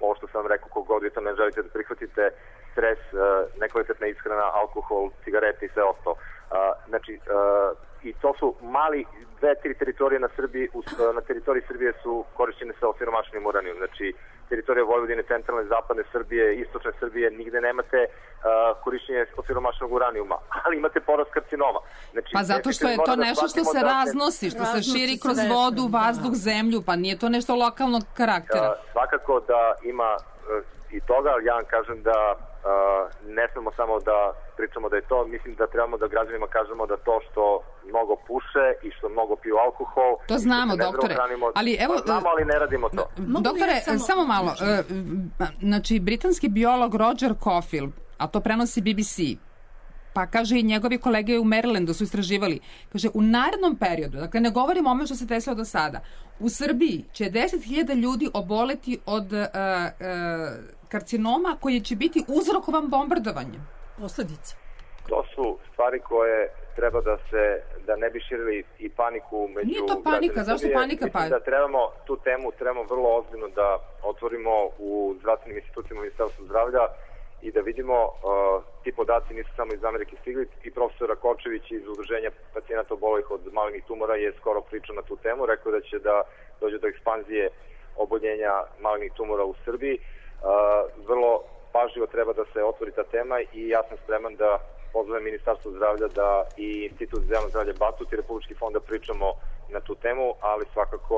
ovo što sam vam rekao, kogod vi to ne želite da prihvatite, stres, a, nekvalitetna ishrana, alkohol, cigarete i sve ostalo. A, znači, a, i to su mali, dve, tri teritorije na Srbiji, na teritoriji Srbije su korišćene sa osiromašenim uranijom, znači teritorija Vojvodine, centralne, zapadne Srbije, istočne Srbije, nigde nemate uh, korišćenje osiromašenog uranijuma, ali imate porast karcinoma. Znači, pa zato što je to nešto što se raznosi, što se širi kroz vodu, vazduh, zemlju, pa nije to nešto lokalnog karaktera. Uh, svakako da ima uh, i toga, ali ja vam kažem da uh, ne smemo samo da pričamo da je to, mislim da trebamo da građanima kažemo da to što mnogo puše i što mnogo piju alkohol. To znamo, doktore. Hranimo, ali evo, pa znamo, ali ne radimo to. Doktore, ja samo, samo malo. Znači, britanski biolog Roger Caulfield, a to prenosi B B C, pa kaže i njegovi kolege u Marylandu su istraživali, kaže u narednom periodu, dakle ne govorimo o ome što se desilo do sada, u Srbiji će deset hiljada ljudi oboleti od uh, uh, karcinoma koji će biti uzrokovan bombardovanjem. Posledice. To su stvari koje treba da se, da ne bi širili i paniku među... Nije to panika, zašto panika pa? Mislim da trebamo, tu temu trebamo vrlo ozbiljno da otvorimo u zdravstvenim institucijama Ministarstva zdravlja i da vidimo, uh, ti podaci nisu samo iz Amerike stigli, i profesor Rakočević iz Udruženja pacijenata obolelih od malignih tumora je skoro pričao na tu temu, rekao da će da dođe do ekspanzije oboljenja malignih tumora u Srbiji. Uh, vrlo pažljivo treba da se otvori ta tema i ja sam spreman da pozovem Ministarstvo zdravlja da i Institut za javno zdravlje Batut i Republički fond da pričamo na tu temu, ali svakako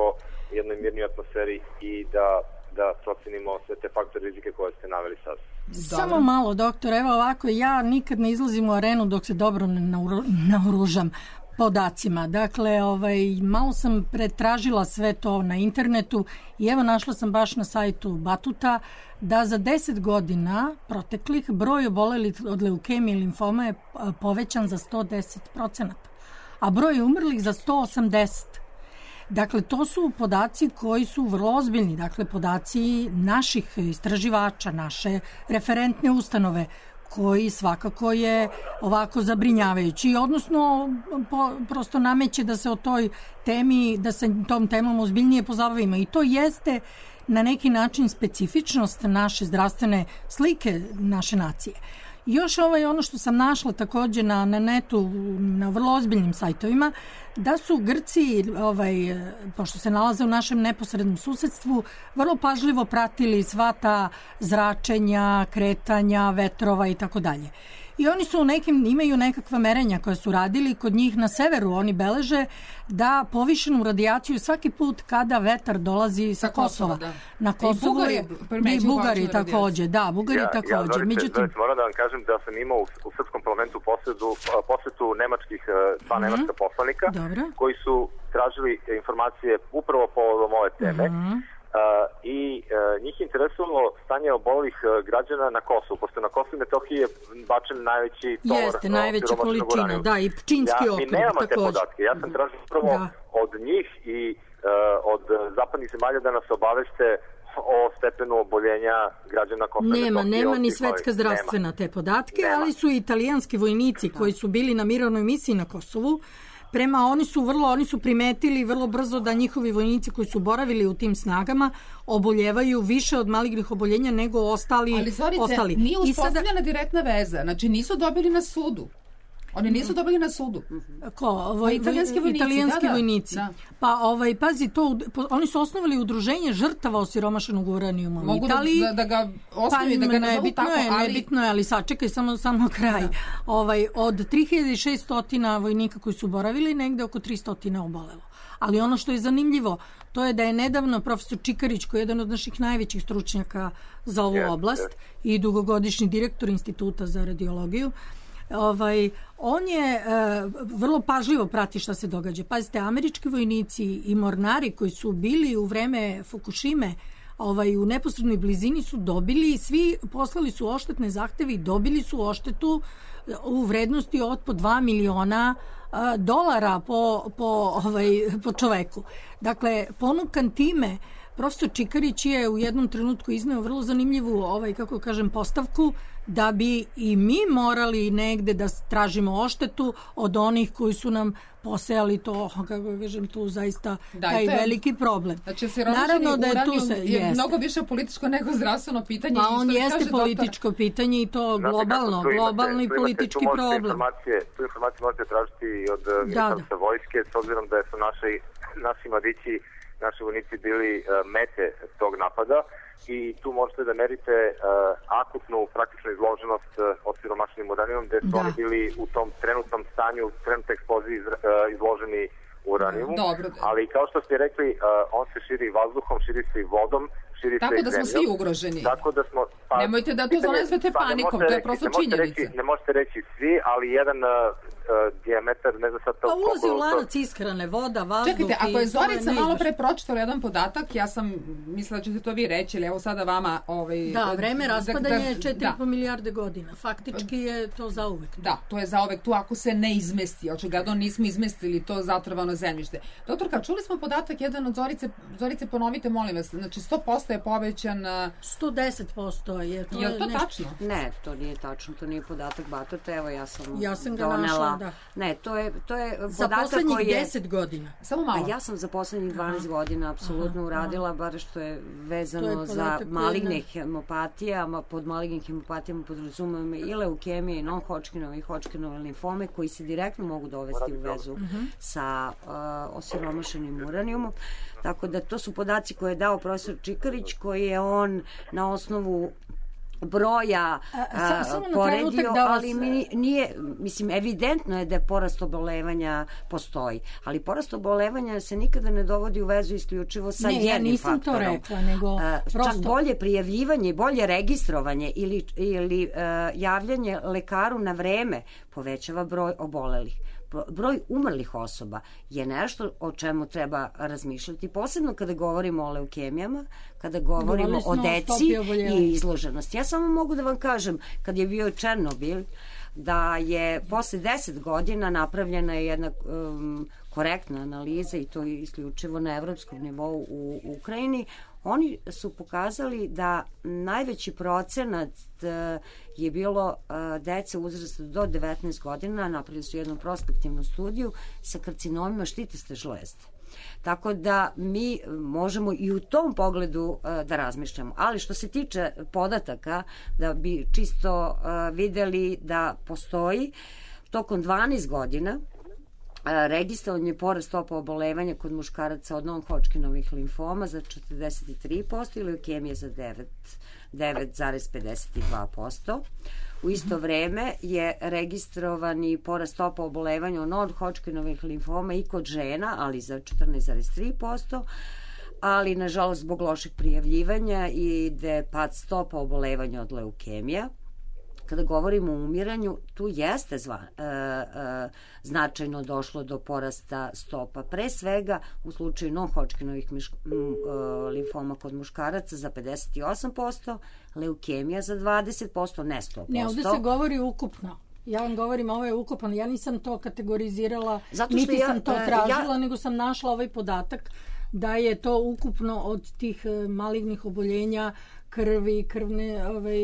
u jednoj mirnoj atmosferi i da, da procenimo sve te faktore rizike koje ste naveli sad. Samo malo, doktor, evo ovako, ja nikad ne izlazim u arenu dok se dobro ne naoružam podacima. Dakle, ovaj, malo sam pretražila sve to na internetu i evo našla sam baš na sajtu Batuta da za deset godina proteklih broj obolelih od leukemije i limfoma je povećan za sto deset procenata, a broj umrlih za sto osamdeset. Dakle, to su podaci koji su vrlo ozbiljni, dakle, podaci naših istraživača, naše referentne ustanove, koji svakako je ovako zabrinjavajući, odnosno po, prosto nameće da se o toj temi, da se tom temom ozbiljnije pozabavimo. I to jeste na neki način specifičnost naše zdravstvene slike naše nacije. Još ovaj, ono što sam našla takođe na, na netu, na vrlo ozbiljnim sajtovima, da su Grci, ovaj, pošto se nalaze u našem neposrednom susedstvu, vrlo pažljivo pratili sva ta zračenja, kretanja, vetrova i tako dalje. I oni su u nekim, imaju nekakva merenja koje su radili, kod njih na severu oni beleže da povišenu radijaciju svaki put kada vetar dolazi sa, sa Kosova. Da. Na Kosovu je, i Bugari takođe, da, Bugari ja, takođe. Ja, Zorice, Međutim, Zorice, moram da vam kažem da sam imao u, u Srpskom parlamentu posetu, posetu nemačkih dva mm-hmm. nemačka poslanika Dobro. koji su tražili informacije upravo povodom ove teme. Mm-hmm. Uh, i uh, njih interesovalo stanje obolelih uh, građana na Kosovu, pošto na Kosovu i Metohiji je bačen najveći tovar. Jeste, najveća količina, da, i Pčinski ja, okrug. Mi nemamo te podatke, ja sam tražio prvo da. od njih i uh, od zapadnih zemalja da nas obaveste o stepenu oboljenja građana Kosova i Nema, Metohije. nema ni Svetska zdravstvena te podatke, nema. Ali su italijanski vojnici koji su bili na mirovnoj misiji na Kosovu. Prema, oni su vrlo, oni su primetili vrlo brzo da njihovi vojnici koji su boravili u tim snagama oboljevaju više od malignih oboljenja nego ostali. Ali Zorice, ostali. nije uspostavljena sada direktna veza, znači nisu dobili na sudu. Oni nisu dobili na sudu. Ko? Voj, italijanski vojnici. Italijanski da, da. vojnici. Da. Pa, ovaj, pazi, to, oni su osnovali udruženje žrtava osiromašenog uranijuma. Mogu Italiji, da, da ga osnovi, pa, da ga nazovu tako, je, ali... Nebitno je, ali sačekaj samo, samo kraj. Da. Ovaj, od tri hiljade šesto vojnika koji su boravili, negde oko tristo obolelo. Ali ono što je zanimljivo, to je da je nedavno profesor Čikarić, koji je jedan od naših najvećih stručnjaka za ovu yes, oblast yes. i dugogodišnji direktor Instituta za radiologiju, Ovaj, on je e, vrlo pažljivo prati šta se događa. Pazite, američki vojnici i mornari koji su bili u vreme Fukushime ovaj, u neposrednoj blizini su dobili, svi poslali su oštetne zahteve i dobili su oštetu u vrednosti od po dva miliona a, dolara po, po, ovaj, po čoveku. Dakle, ponukan time, profesor Čikarić je u jednom trenutku izneo vrlo zanimljivu, ovaj, kako kažem, postavku da bi i mi morali negde da tražimo oštetu od onih koji su nam posejali to, kako kažem, tu zaista da, taj je veliki problem. Znači, naravno da je tu se, je jeste. mnogo više političko nego zdravstveno pitanje. Pa on jeste političko doktor... pitanje i to globalno, Znate, globalno imate, i politički imate, tu problem. Informacije, tu informacije možete tražiti od da, ministarstva da. vojske, s obzirom da su naši, naši mladići naši vojnici bili uh, mete tog napada i tu možete da merite uh, akutnu praktičnu izloženost uh, osiromašenim uranijumom, gde su da. oni bili u tom trenutnom stanju, trenutnoj eksploziji uh, izloženi uranijumu, ali kao što ste rekli, uh, on se širi vazduhom, širi se i vodom, širi tako se i da smo zemljom. svi ugroženi. Tako da smo... Pa, nemojte da to zanezvete pa, panikom, to je prosto činjenica. Ne možete reći svi, ali jedan uh, uh, dijametar, ne znam sad to... Pa ulazi u lanac ishrane, voda, vazduh... Čekajte, ako je Zorica malo pre pročitala jedan podatak, ja sam mislila da ćete to vi reći, ali evo sada vama... Ovaj, da, vreme raspadanja je četiri i po da. milijarde godina. Faktički je to zauvek. Da, to je zauvek tu ako se ne izmesti. Očigledno nismo izmestili to zatrovano zemljište. Doktorka, čuli smo podatak jedan od Zorice, Zorice ponovite, molim vas, znači sto posto je povećan... sto deset posto je to. Je li to nešto... tačno? Ne, to nije tačno, to nije podatak Batote, evo ja sam, ja sam ga donela. Našla, da. Ne, to je, to je podatak za poslednjih koji je... deset godina. Samo malo. A ja sam za poslednjih dvanaest aha. godina apsolutno aha, uradila, bar što je vezano je za maligne ne... hemopatije, pod malignim hemopatijama podrazumemo i leukemije, i non-Hodgkinove i Hodgkinove limfome, koji se direktno mogu dovesti u vezu uh-huh. sa uh, osiromašenim uranijumom. Tako da to su podaci koje je dao profesor Čikarić, koji je on na osnovu broja a, a, poredio, da vas... ali mi nije, mislim, evidentno je da je porast obolevanja postoji, ali porast obolevanja se nikada ne dovodi u vezu isključivo sa ne, jednim ja nisam faktorom. To rekla, nego a, prosto... Čak bolje prijavljivanje, bolje registrovanje ili, ili a, javljanje lekaru na vreme povećava broj obolelih. Broj umrlih osoba je nešto o čemu treba razmišljati, posebno kada govorimo o leukemijama, kada govorimo o deci i izloženosti. Ja samo mogu da vam kažem, kad je bio Černobil, da je posle deset godina napravljena jedna um, korektna analiza, i to je isključivo na evropskom nivou u Ukrajini. Oni su pokazali da najveći procenat je bilo dece uzrasta do devetnaest godina, napravili su jednu prospektivnu studiju sa karcinomima štitiste žlezde. Tako da mi možemo i u tom pogledu da razmišljamo. Ali što se tiče podataka, da bi čisto videli da postoji tokom dvanaest godina registrovan je porast stopa obolevanja kod muškaraca od non-Hodgkinovih limfoma za četrdeset tri posto i leukemije za devet zarez pedeset dva posto. U isto vreme je registrovani porast stopa obolevanja od non-Hodgkinovih limfoma i kod žena, ali za četrnaest zarez tri posto, ali nažalost zbog lošeg prijavljivanja ide pad stopa obolevanja od leukemija. Kada govorimo o umiranju, tu jeste zva, e, e, značajno došlo do porasta stopa. Pre svega u slučaju non-Hodgkinovih miš, m, e, limfoma kod muškaraca za pedeset osam posto, leukemija za dvadeset posto, ne sto posto. Ne, ovde se govori ukupno. Ja vam govorim, ovo je ukupno. Ja nisam to kategorizirala, niti ja, sam to tražila, ja, nego sam našla ovaj podatak da je to ukupno od tih malignih oboljenja krvi, krvne... Ovaj,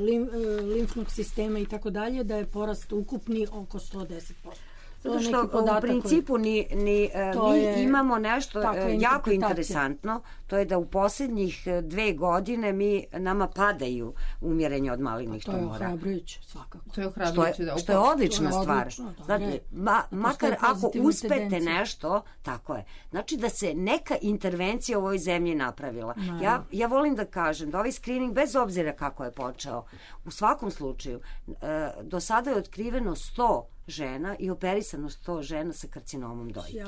Lim, limfnog sistema i tako dalje, da je porast ukupni oko sto deset posto. Zato što u principu ni, ni, mi je, imamo nešto jako interesantno, to je da u posljednjih dve godine mi nama padaju umirenja od malignih tumora. To je ohrabrujuće, svakako. To je ohrabrujuće, što je, da. Što je odlična je stvar. Odlično, da, znači, ma, makar ako uspete tendencije. Nešto, tako je. Znači da se neka intervencija u ovoj zemlji napravila. No. Ja, ja volim da kažem da ovaj screening, bez obzira kako je počeo, u svakom slučaju, do sada je otkriveno sto žena i operisano sto žena sa karcinomom dojke.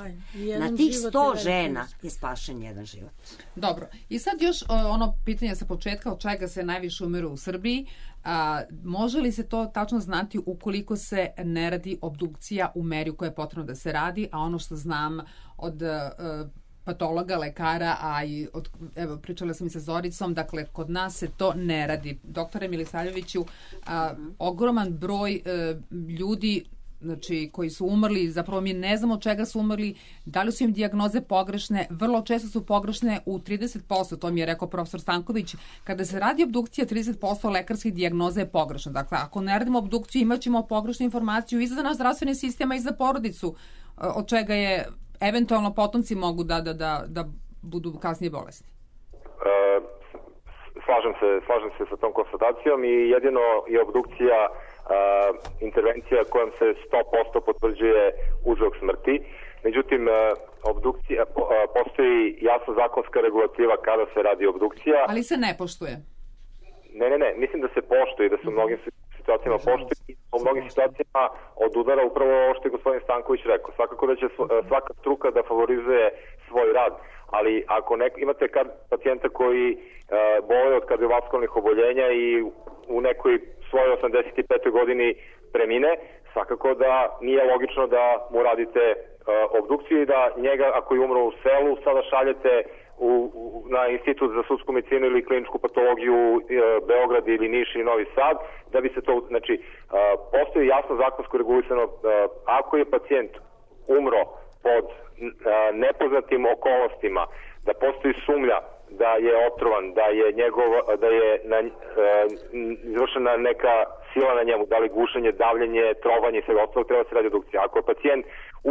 Na tih sto žena je spašen jedan život. Dobro. I sad još ono pitanje sa početka, od čega se najviše umiru u Srbiji. A, može li se to tačno znati ukoliko se ne radi obdukcija u meri u kojoj je potrebno da se radi, a ono što znam od uh, patologa, lekara, a i od, evo, pričala sam i sa Zoricom, dakle, kod nas se to ne radi. Doktore Milisavljeviću, a, ogroman broj a, ljudi, znači, koji su umrli, zapravo mi ne znamo od čega su umrli, da li su im dijagnoze pogrešne, vrlo često su pogrešne u trideset posto, to mi je rekao profesor Stanković, kada se radi obdukcija, trideset posto lekarskih dijagnoza je pogrešno. Dakle, ako ne radimo obdukciju, imat ćemo pogrešnu informaciju i za naš zdravstveni sistem, i za porodicu, od čega je eventualno potomci mogu da, da, da, da budu kasnije bolesni. E, slažem se, slažem se sa tom konstatacijom i jedino je obdukcija Uh, intervencija kojom se sto posto potvrđuje uzrok smrti Međutim, obdukcija, postoji jasna zakonska regulativa kada se radi obdukcija. Ali se ne poštuje. Ne, ne, ne, mislim da se poštuje, da se u mnogim situacijama poštuje i u mnogim situacijama odudara upravo ovo što je gospodin Stanković rekao. Svakako da će svaka struka da favorizuje svoj rad, ali ako nek, imate kad pacijenta koji uh, boluje od kardiovaskularnih oboljenja i u nekoj svojoj osamdeset petoj godini premine, svakako da nije logično da mu radite uh, obdukciju i da njega, ako je umro u selu, sada šaljete U, u, na Institut za sudsku medicinu ili kliničku patologiju e, Beograd ili Niš ili Novi Sad, da bi se to, znači, e, postoji jasno zakonsko regulisano, e, ako je pacijent umro pod e, nepoznatim okolnostima, da postoji sumnja da je otrovan, da je njegov, da je na, e, izvršena neka sila na njemu, da li gušenje, davljenje, trovanje i sve ostalo, treba se radi obdukcija. Ako je pacijent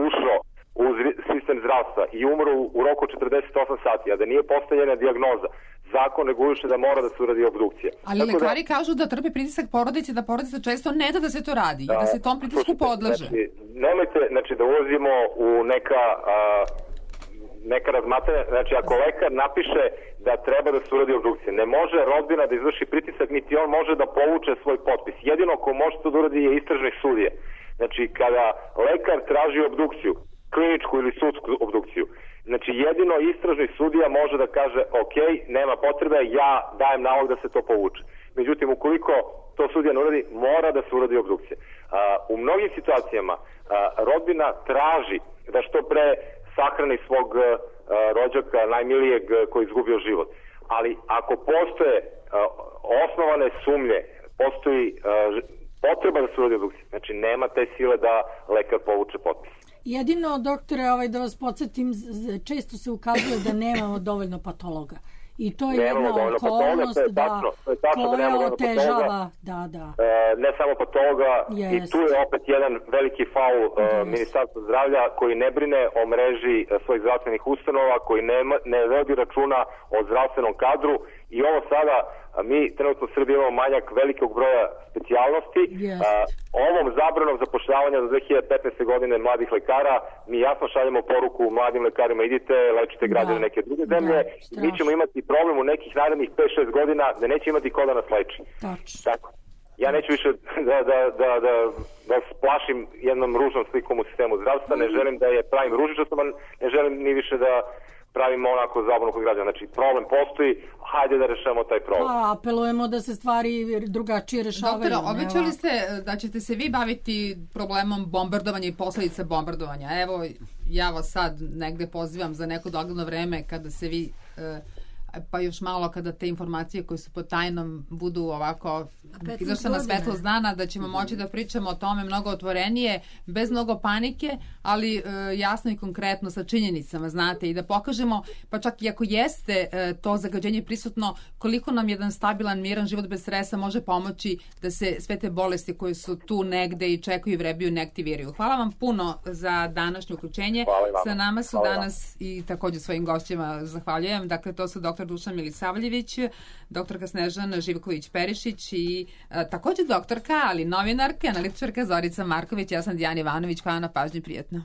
ušao u sistem zdravstva i umro u roku četrdeset osam sati, a da nije postavljena dijagnoza, zakon reguliše da mora da se uradi obdukcija. Ali tako lekari da, kažu da trpe pritisak porodice, da porodica često ne da da se to radi, da, da se tom pritisku podleže. Znači, nemojte znači, da ulazimo u neka, a, neka razmatranja. Znači, ako lekar napiše da treba da se uradi obdukcija, ne može rodbina da izvrši pritisak, niti on može da povuče svoj potpis. Jedino ko može to da uradi je istražni sudije. Znači, kada lekar traži obdukciju, kliničku ili sudsku obdukciju. Znači, jedino istražni sudija može da kaže ok, nema potrebe, ja dajem nalog da se to povuče. Međutim, ukoliko to sudija ne uradi, mora da se uradi obdukcija. A, u mnogim situacijama a, rodbina traži da što pre sahrani svog a, rođaka, najmilijeg koji izgubio život. Ali ako postoje a, osnovane sumnje, postoji a, potreba da se uradi obdukcija, znači nema te sile da lekar povuče potpis. Jedino, doktore, ovaj, da vas podsjetim, često se ukazuje da nemamo dovoljno patologa. I to je nemamo jedna okolnost je da, tačno, je tačno koja da otežava. Da, da. E, ne samo patologa, Jest. i tu je opet jedan veliki faul e, Ministarstva zdravlja koji ne brine o mreži e, svojih zdravstvenih ustanova, koji ne, ne vodi računa o zdravstvenom kadru i ovo sada, a mi trenutno u Srbiji imamo manjak velikog broja specijalnosti. Yes. Ovom zabranom zapošljavanja za dve hiljade petnaeste. godine mladih lekara, mi jasno šaljemo poruku mladim lekarima, idite, lečite građane da. neke druge zemlje, da, mi ćemo imati problem u nekih narednih pet šest godina da neće imati ko da nas leči. Tako. Ja neću više da, da, da, da, da splašim jednom ružnom slikom u sistemu zdravstva, ne želim da je pravim ružičastom, ne želim ni više da pravimo onako zabavno kod građana. Znači, problem postoji, hajde da rešavamo taj problem. Pa, apelujemo da se stvari drugačije rešavaju. Doktore, obećali ste da ćete se vi baviti problemom bombardovanja i posledica bombardovanja. Evo, ja vas sad negde pozivam za neko dogledno vreme kada se vi... pa još malo kada te informacije koje su pod tajnom budu ovako izašle na svetlost dana, da ćemo moći da pričamo o tome mnogo otvorenije, bez mnogo panike, ali e, jasno i konkretno sa činjenicama, znate, i da pokažemo, pa čak i ako jeste e, to zagađenje prisutno, koliko nam jedan stabilan, miran život bez stresa može pomoći da se sve te bolesti koje su tu negde i čekaju i vrebiju ne aktiviraju. Hvala vam puno za današnje uključenje. Sa nama su Hvala danas vam. I takođe svojim gošćima zahvaljujem. Dakle, to su doktor Dušan Milisavljević, doktorka Snežana Živković-Perišić i a, takođe doktorka, ali novinarka, analitičarka Zorica Marković. Ja sam Dijana Ivanović. Hvala na pažnji, prijetno.